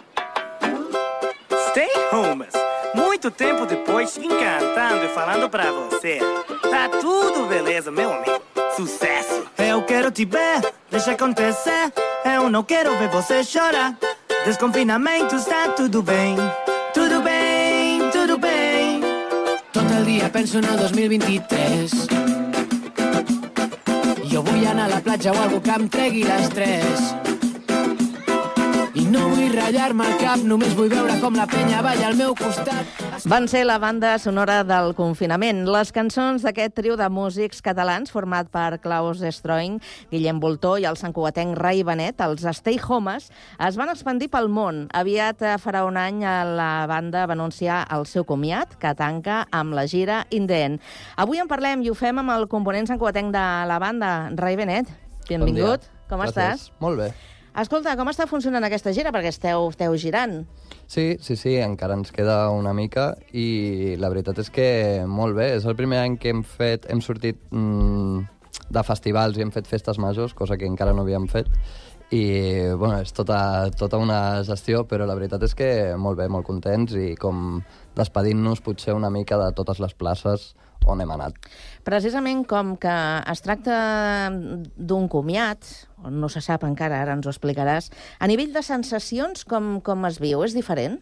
Stay Homes. Muito tempo depois, encantando e falando pra você. Tá tudo beleza, meu amigo. Sucesso! Eu quero te ver, deixa acontecer. Eu não quero ver você chorar. Desconfinamento está tudo bem. Tudo bem, tudo bem. Tot el dia penso en el dos mil vint-i-tres. Jo vull anar a la platja o algú que em tregui l'estrès. I no vull ratllar-me el cap, només vull veure com la penya balla al meu costat. Van ser la banda sonora del confinament. Les cançons d'aquest trio de músics catalans format per Klaus Stroing, Guillem Voltó i el santcugatenc Rai Benet, els Stay Homes, es van expandir pel món. Aviat farà un any la banda va anunciar el seu comiat, que tanca amb la gira In the End. Avui en parlem i ho fem amb el component santcugatenc de la banda, Rai Benet. Benvingut. Bon Com Gràcies. estàs? Molt bé. Escolta, com està funcionant aquesta gira? Perquè esteu, esteu girant. Sí, sí, sí, encara ens queda una mica i la veritat és que molt bé. És el primer any que hem fet, hem sortit mm, de festivals i hem fet festes majors, cosa que encara no havíem fet. I, bueno, és tota, tota una gestió, però la veritat és que molt bé, molt contents i com despedint-nos potser una mica de totes les places on hem anat. Precisament com que es tracta d'un comiat, no se sap encara, ara ens ho explicaràs, a nivell de sensacions, com, com es viu? És diferent?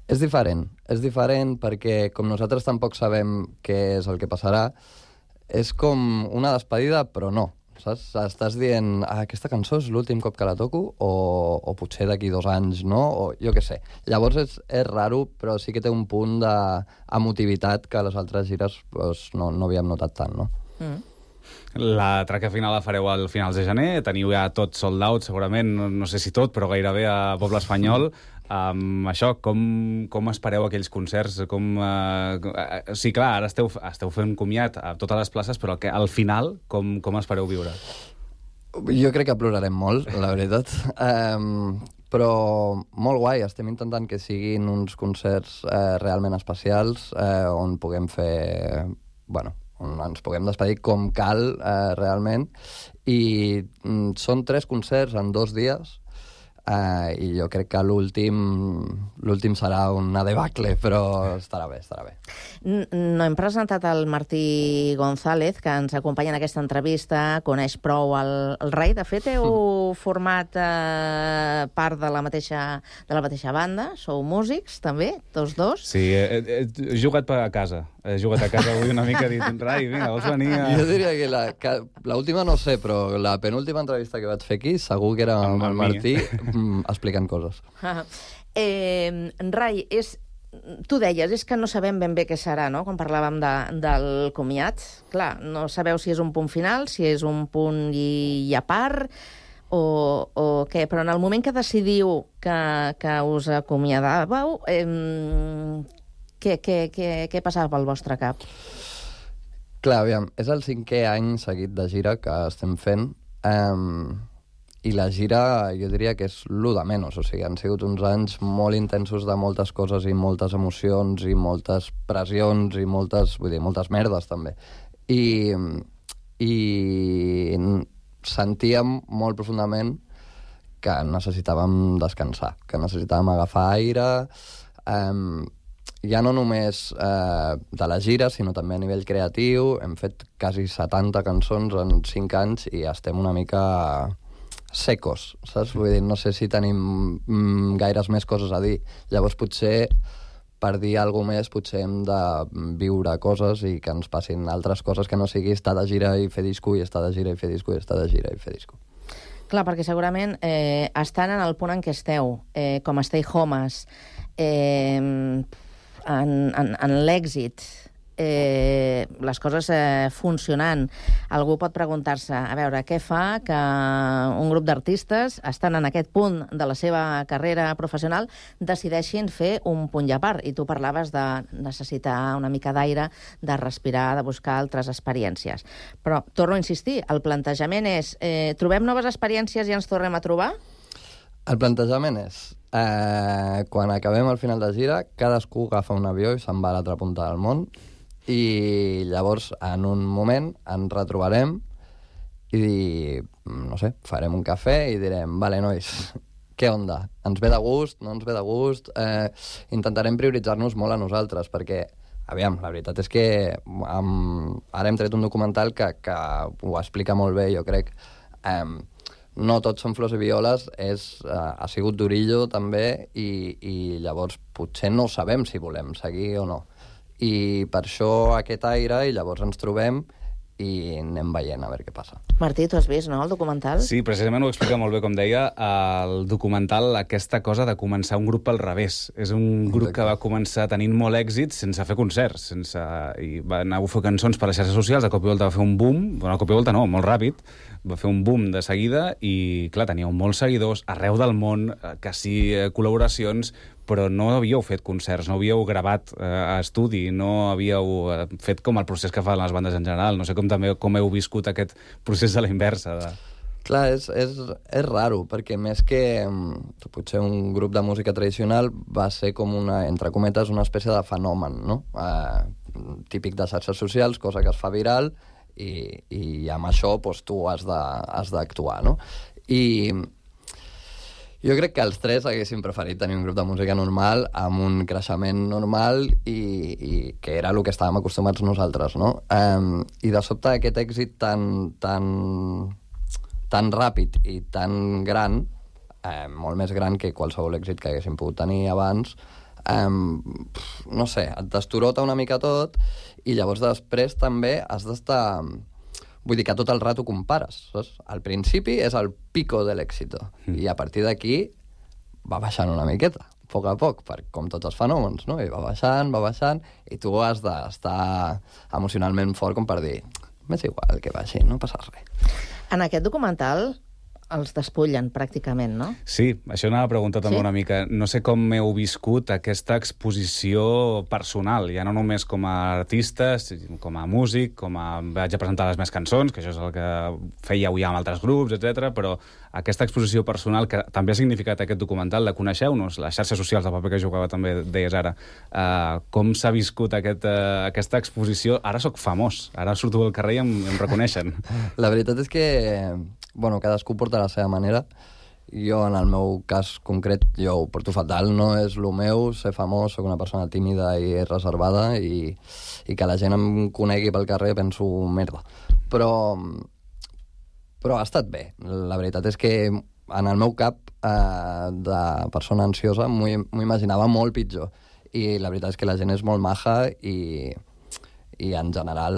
És diferent. És diferent perquè, com nosaltres tampoc sabem què és el que passarà, és com una despedida, però no. Saps? Estàs dient, ah, aquesta cançó és l'últim cop que la toco, o, o potser d'aquí dos anys, no? O jo què sé. Llavors és, és raro, però sí que té un punt d'emotivitat que a les altres gires doncs, no, no havíem notat tant, no? Mm. La traca final la fareu al finals de gener, teniu ja tot sold out, segurament, no, no sé si tot, però gairebé a Poble Espanyol. Um, això, com, com espereu aquells concerts? Com, uh, sí, clar, ara esteu, esteu fent comiat a totes les places, però que, al final, com, com espereu viure? Jo crec que plorarem molt, la veritat. Um, però molt guai, estem intentant que siguin uns concerts eh, realment especials, eh, on puguem fer... Bueno, on ens puguem despedir com cal, eh, realment. I mm, són tres concerts en dos dies, Uh, i jo crec que l'últim l'últim serà una debacle, però estarà bé, estarà bé. No hem presentat el Martí González, que ens acompanya en aquesta entrevista, coneix prou el, el Rai. De fet, heu mm. format uh, part de la, mateixa, de la mateixa banda, sou músics, també, tots dos? Sí, he, he, he jugat per a casa. He jugat a casa avui una mica dit, Rai, vinga, vols venir a... Jo diria que la, que la última no sé, però la penúltima entrevista que vaig fer aquí segur que era amb el Martí mm, explicant coses. eh, Rai, és... Tu deies, és que no sabem ben bé què serà, no?, quan parlàvem de, del comiat. Clar, no sabeu si és un punt final, si és un punt i, i a part, o, o què, però en el moment que decidiu que, que us acomiadàveu, eh, què, què, què, què passava pel vostre cap? Clar, aviam, és el cinquè any seguit de gira que estem fent, eh, i la gira jo diria que és l'u de menys, o sigui, han sigut uns anys molt intensos de moltes coses i moltes emocions i moltes pressions i moltes, vull dir, moltes merdes també. I, i sentíem molt profundament que necessitàvem descansar, que necessitàvem agafar aire, eh, ja no només eh, de la gira, sinó també a nivell creatiu. Hem fet quasi setanta cançons en cinc anys i estem una mica secos, saps? Vull dir, no sé si tenim mm, gaires més coses a dir. Llavors, potser, per dir alguna més, potser hem de viure coses i que ens passin altres coses que no sigui estar de gira i fer disco i estar de gira i fer disco i estar de gira i fer disco. Clar, perquè segurament eh, estan en el punt en què esteu, eh, com Stay Homes, eh, en, en, en l'èxit, eh, les coses eh, funcionant. Algú pot preguntar-se, a veure, què fa que un grup d'artistes estan en aquest punt de la seva carrera professional decideixin fer un punt i a part? I tu parlaves de necessitar una mica d'aire, de respirar, de buscar altres experiències. Però, torno a insistir, el plantejament és eh, trobem noves experiències i ens tornem a trobar? El plantejament és, eh, quan acabem al final de gira, cadascú agafa un avió i se'n va a l'altra punta del món, i llavors en un moment ens retrobarem i, no sé, farem un cafè i direm, vale, nois, què onda? Ens ve de gust? No ens ve de gust? Eh, intentarem prioritzar-nos molt a nosaltres, perquè, aviam, la veritat és que um, ara hem tret un documental que, que ho explica molt bé, jo crec. Um, no tots són flors i violes, és, uh, ha sigut durillo també, i, i llavors potser no sabem si volem seguir o no. I per això aquest aire, i llavors ens trobem i anem veient a veure què passa. Martí, tu has vist, no?, el documental? Sí, precisament ho explica molt bé, com deia, el documental, aquesta cosa de començar un grup al revés. És un grup Exacte. Que va començar tenint molt èxit sense fer concerts, sense... i va anar a fer cançons per les xarxes socials, de cop i volta va fer un boom, bueno, de cop i volta no, molt ràpid, va fer un boom de seguida i, clar, teníeu molts seguidors arreu del món, quasi col·laboracions, però no havíeu fet concerts, no havíeu gravat eh, a estudi, no havíeu eh, fet com el procés que fan les bandes en general. No sé com també com heu viscut aquest procés a la inversa. De... Clar, és, és, és raro, perquè més que potser un grup de música tradicional va ser com una, entre cometes, una espècie de fenomen, no? Eh, típic de xarxes socials, cosa que es fa viral, i, i amb això doncs, tu has d'actuar, no? I jo crec que els tres haguéssim preferit tenir un grup de música normal, amb un creixement normal, i, i que era el que estàvem acostumats nosaltres, no? Um, I de sobte aquest èxit tan, tan, tan ràpid i tan gran, eh, molt més gran que qualsevol èxit que haguéssim pogut tenir abans, um, no sé, et destorota una mica tot, i llavors després també has d'estar... Vull dir que tot el rato compares, saps? Al principi és el pico de l'èxito, mm. i a partir d'aquí va baixant una miqueta, a poc a poc, per, com tots els fenòmens, no? I va baixant, va baixant, i tu has d'estar emocionalment fort com per dir, m'és igual que baixi, no passa res. En aquest documental els despullen, pràcticament, no? Sí, això anava a preguntar també sí? una mica. No sé com heu viscut aquesta exposició personal, ja no només com a artista, com a músic, com a... vaig a presentar les meves cançons, que això és el que fèieu ja amb altres grups, etcètera, però aquesta exposició personal que també ha significat aquest documental, la coneixeu-nos, les xarxes socials, el paper que jugava també, deies ara, uh, com s'ha viscut aquest, uh, aquesta exposició? Ara sóc famós, ara surto al carrer i em, em reconeixen. La veritat és que, bueno, cadascú porta la seva manera. Jo, en el meu cas concret, jo ho porto fatal, no és el meu, ser famós, soc una persona tímida i reservada, i, i que la gent em conegui pel carrer penso merda. Però, però ha estat bé. La veritat és que en el meu cap eh, de persona ansiosa m'ho imaginava molt pitjor. I la veritat és que la gent és molt maja i, i en general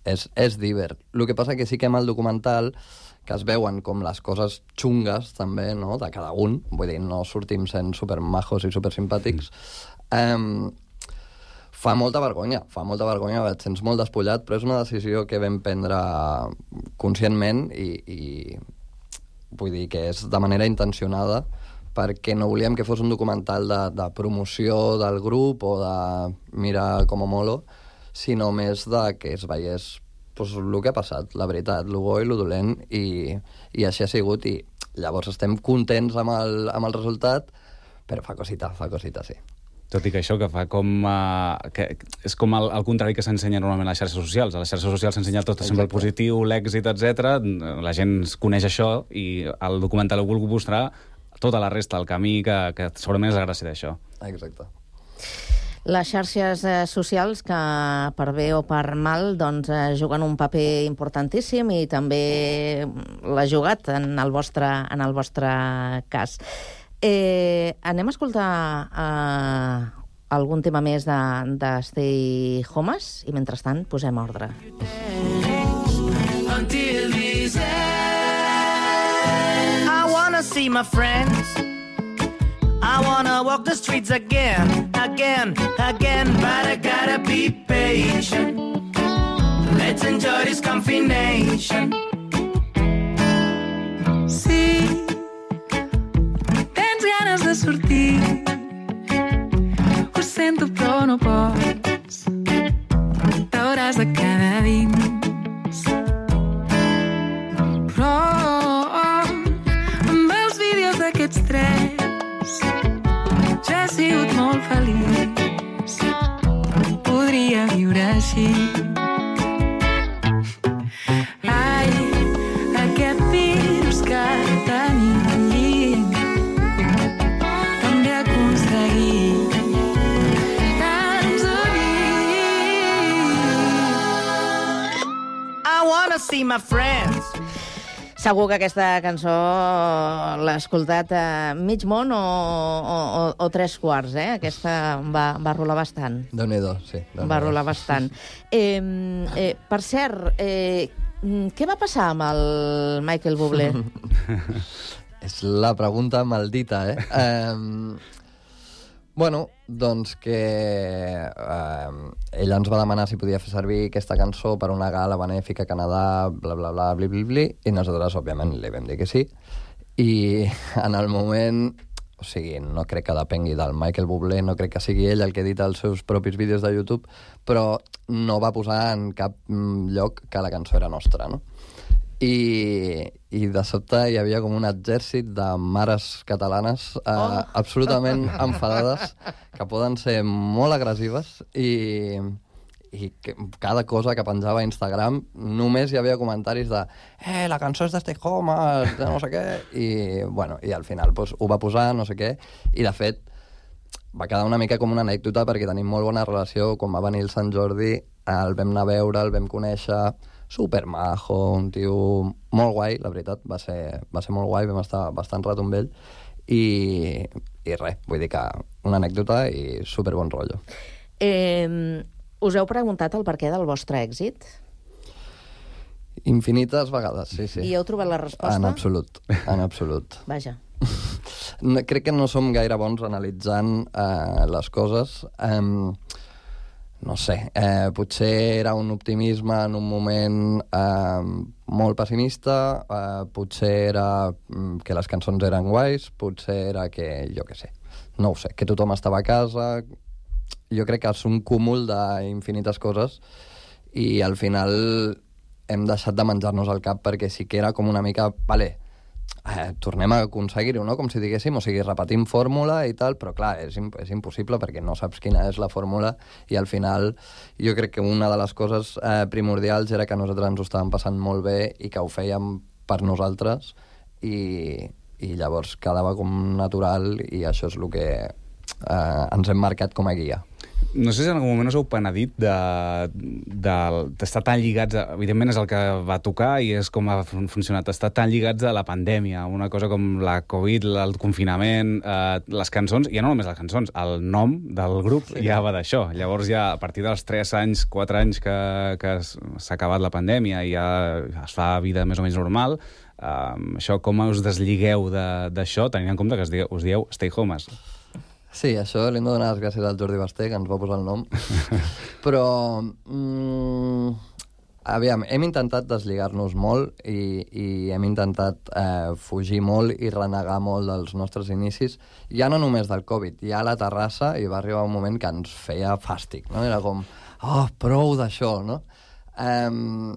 és, és divert. El que passa que sí que amb el documental, que es veuen com les coses xungues també, no?, de cada un, vull dir, no sortim sent supermajos i supersimpàtics, mm. eh, fa molta vergonya, fa molta vergonya, et sents molt despullat, però és una decisió que vam prendre conscientment i, i vull dir que és de manera intencionada, perquè no volíem que fos un documental de, de promoció del grup o de mira com molo, sinó més de que es veiés pues, el que ha passat, la veritat, el bo i el dolent, i, i així ha sigut, i llavors estem contents amb el, amb el resultat, però fa cosita, fa cosita, sí. Tot i que això que fa com... Uh, que és com el, el contrari que s'ensenya normalment a les xarxes socials. A les xarxes socials s'ensenya tot sempre el positiu, l'èxit, etcètera. La gent coneix això i el documental ho vulgui mostrar tota la resta, el camí, que, que segurament és la gràcia d'això. Exacte. Les xarxes eh, socials, que per bé o per mal, doncs, eh, juguen un paper importantíssim i també l'ha jugat en el vostre, en el vostre cas. Eh, anem a escoltar eh, algun tema més de, de Stay Homes i mentrestant posem ordre. Until this end, I wanna see my friends, I wanna walk the streets again, again, again, but I gotta be patient. Let's enjoy this combination. Sí, de sortir, ho sento però no pots, t'hauràs de quedar dins. Però amb els vídeos d'aquests tres ja he sigut molt feliç, podria viure així. Ai, aquest virus que tenim see my friends. Segur que aquesta cançó l'ha escoltat a mig món o, o, o, o tres quarts, eh? Aquesta va, va rolar bastant. Déu-n'hi-do, sí. Déu-n'hi-do. Va rolar bastant. Eh, eh, per cert, eh, què va passar amb el Michael Bublé? És la pregunta maldita, eh? eh Bueno, doncs que eh, ell ens va demanar si podia fer servir aquesta cançó per una gala benèfica a Canadà, bla, bla, bla, bli, bli, bli, i nosaltres, òbviament, li vam dir que sí. I en el moment... O sigui, no crec que depengui del Michael Bublé, no crec que sigui ell el que edita els seus propis vídeos de YouTube, però no va posar en cap lloc que la cançó era nostra, no? I, i de sobte hi havia com un exèrcit de mares catalanes eh, oh. absolutament enfadades, que poden ser molt agressives, i, i que cada cosa que penjava a Instagram només hi havia comentaris de eh, la cançó és de Stay Homes, de no sé què, i, bueno, i al final pues, ho va posar, no sé què, i de fet va quedar una mica com una anècdota perquè tenim molt bona relació. Quan va venir el Sant Jordi el vam anar a veure, el vam conèixer, supermajo, un tio molt guai, la veritat, va ser, va ser molt guai, vam estar bastant rato amb ell, i, i res, vull dir que una anècdota i superbon rotllo. Eh, us heu preguntat el perquè del vostre èxit? Infinites vegades, sí, sí. I heu trobat la resposta? En absolut, en absolut. Vaja. No, crec que no som gaire bons analitzant eh, les coses. Eh, no sé, eh, potser era un optimisme en un moment eh, molt pessimista, eh, potser era que les cançons eren guais, potser era que, jo què sé, no ho sé, que tothom estava a casa. Jo crec que és un cúmul d'infinites coses i al final hem deixat de menjar-nos el cap perquè sí que era com una mica, vale, eh, tornem a aconseguir-ho, no? Com si diguéssim, o sigui, repetim fórmula i tal, però clar, és, imp és impossible perquè no saps quina és la fórmula i al final jo crec que una de les coses eh, primordials era que nosaltres ens ho estàvem passant molt bé i que ho fèiem per nosaltres i, i llavors quedava com natural i això és el que eh, ens hem marcat com a guia. No sé si en algun moment us heu penedit d'estar de, de, tan lligats, a, evidentment és el que va tocar i és com ha funcionat, estar tan lligats a la pandèmia, una cosa com la Covid, el confinament, eh, les cançons, ja no només les cançons, el nom del grup sí. ja va d'això. Llavors ja a partir dels tres anys, quatre anys que, que s'ha acabat la pandèmia i ja es fa vida més o menys normal, eh, això com us desligueu d'això, tenint en compte que us dieu, us dieu Stay Homes? Sí, això li hem de donar les gràcies al Jordi Basté, que ens va posar el nom. Però, mm, aviam, hem intentat deslligar-nos molt i, i hem intentat eh, fugir molt i renegar molt dels nostres inicis. Ja no només del Covid, ja a la terrassa i va arribar un moment que ens feia fàstic, no? Era com, oh, prou d'això, no? Um,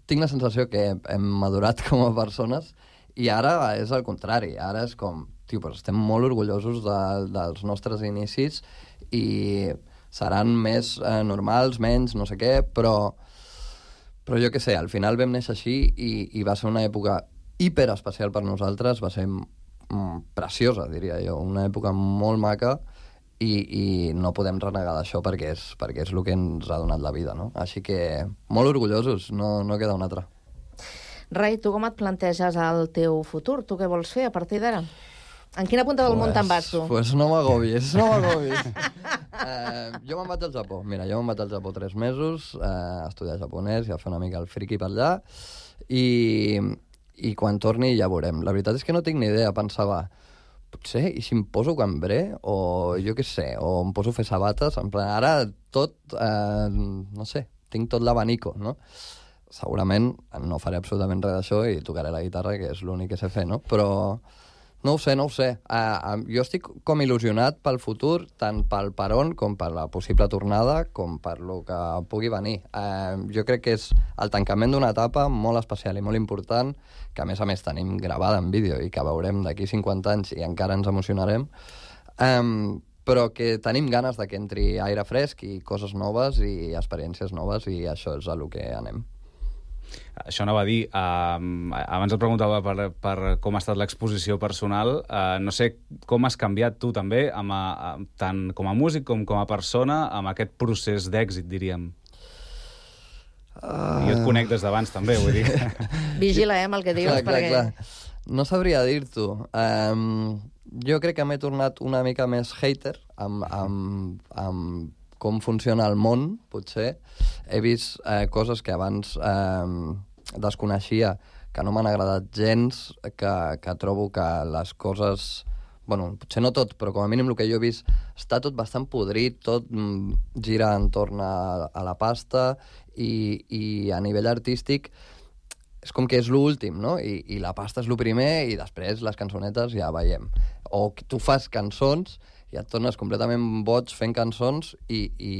tinc la sensació que hem madurat com a persones i ara és el contrari, ara és com... Tio, però estem molt orgullosos de, dels nostres inicis i seran més eh, normals, menys, no sé què, però, però jo què sé, al final vam néixer així i, i va ser una època hiperespecial per nosaltres, va ser mm, preciosa, diria jo, una època molt maca i, i no podem renegar d'això perquè és, perquè és el que ens ha donat la vida, no? Així que molt orgullosos, no, no queda una altra. Rai, tu com et planteges el teu futur? Tu què vols fer a partir d'ara? En quina punta del pues, món te'n vas, tu? Pues no m'agobis, no m'agobis. eh, jo me'n vaig al Japó. Mira, jo me'n vaig al Japó tres mesos eh, a estudiar japonès i a fer una mica el friki per allà i, i quan torni ja veurem. La veritat és que no tinc ni idea. Pensava, potser, i si em poso cambré o jo què sé, o em poso a fer sabates, en plan, ara tot, eh, no sé, tinc tot l'abanico, no? Segurament no faré absolutament res d'això i tocaré la guitarra, que és l'únic que sé fer, no? Però... No ho sé, no ho sé. Uh, uh, jo estic com il·lusionat pel futur, tant pel per on com per la possible tornada, com per lo que pugui venir. Uh, jo crec que és el tancament d'una etapa molt especial i molt important, que a més a més tenim gravada en vídeo i que veurem d'aquí cinquanta anys i encara ens emocionarem, um, però que tenim ganes de que entri aire fresc i coses noves i experiències noves i això és a lo que anem. Això anava a dir, uh, abans et preguntava per, per com ha estat l'exposició personal, uh, no sé com has canviat tu també, amb a, a, tant com a músic com com a persona, amb aquest procés d'èxit, diríem. Uh... Jo et conec des d'abans també, vull dir. Vigila, eh, amb el que dius, clar, perquè... Clar, clar. No sabria dir-t'ho. Um, jo crec que m'he tornat una mica més hater amb... amb, amb com funciona el món, potser. He vist eh, coses que abans eh, desconeixia, que no m'han agradat gens, que, que trobo que les coses... Bueno, potser no tot, però com a mínim el que jo he vist està tot bastant podrit, tot mm, gira entorn a, a la pasta i, i a nivell artístic és com que és l'últim, no? I, I la pasta és el primer i després les cançonetes ja veiem. O que tu fas cançons i et tornes completament boig fent cançons i, i,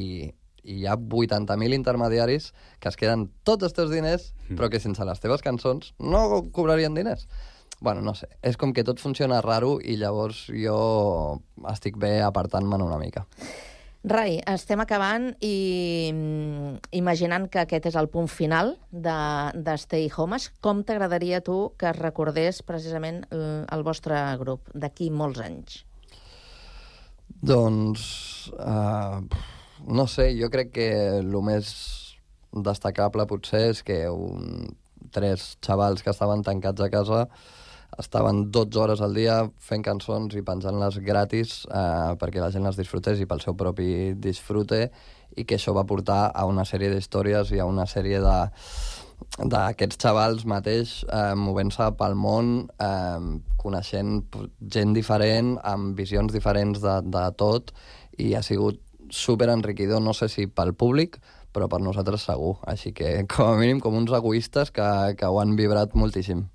i hi ha vuitanta mil intermediaris que es queden tots els teus diners, mm. però que sense les teves cançons no cobrarien diners. Bueno, no sé, és com que tot funciona raro i llavors jo estic bé apartant-me'n una mica. Rai, estem acabant i imaginant que aquest és el punt final de, de Stay Homes. Com t'agradaria tu que es recordés precisament el, el vostre grup d'aquí molts anys? Doncs, uh, no sé, jo crec que el més destacable potser és que un, tres xavals que estaven tancats a casa estaven dotze hores al dia fent cançons i penjant-les gratis uh, perquè la gent les disfrutés i pel seu propi disfrute i que això va portar a una sèrie d'històries i a una sèrie de d'aquests xavals mateix eh, movent-se pel món, eh, coneixent gent diferent, amb visions diferents de, de tot, i ha sigut super enriquidor, no sé si pel públic, però per nosaltres segur. Així que, com a mínim, com uns egoistes que, que ho han vibrat moltíssim.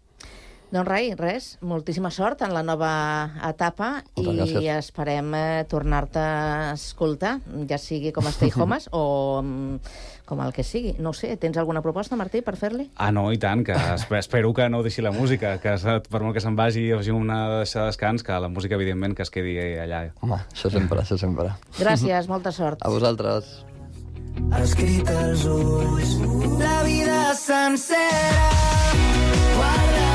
Doncs res, res, moltíssima sort en la nova etapa i gràcies. Esperem eh, tornar-te a escoltar, ja sigui com a Stay Homes o um, com el que sigui. No ho sé, tens alguna proposta, Martí, per fer-li? Ah, no, i tant, que espero que no deixi la música, que per molt que se'n vagi o sigui una deixada de descans, que la música, evidentment, que es quedi allà. Home, això sempre, això sempre. Gràcies, molta sort. A vosaltres. Escrit als ulls, la vida sencera, guarda.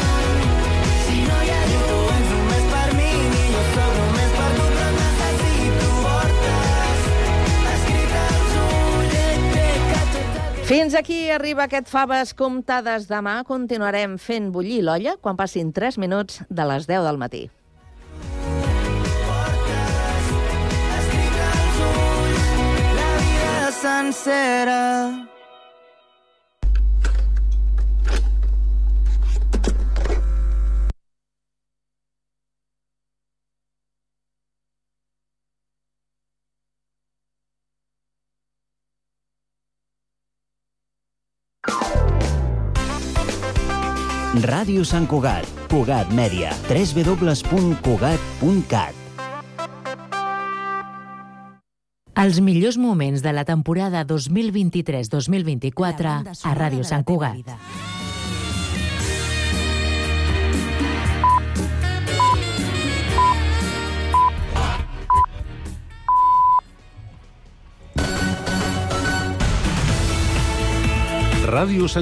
Fins aquí arriba aquest Faves comptades. Demà continuarem fent bullir l'olla quan passin tres minuts de les deu del matí. La vida sencera. Ràdio Sant Cugat, Cugat Mèdia, w w w punt cugat punt cat. Els millors moments de la temporada dos mil vint-i-tres dos mil vint-i-quatre a Ràdio Sant Cugat. Ràdio Sant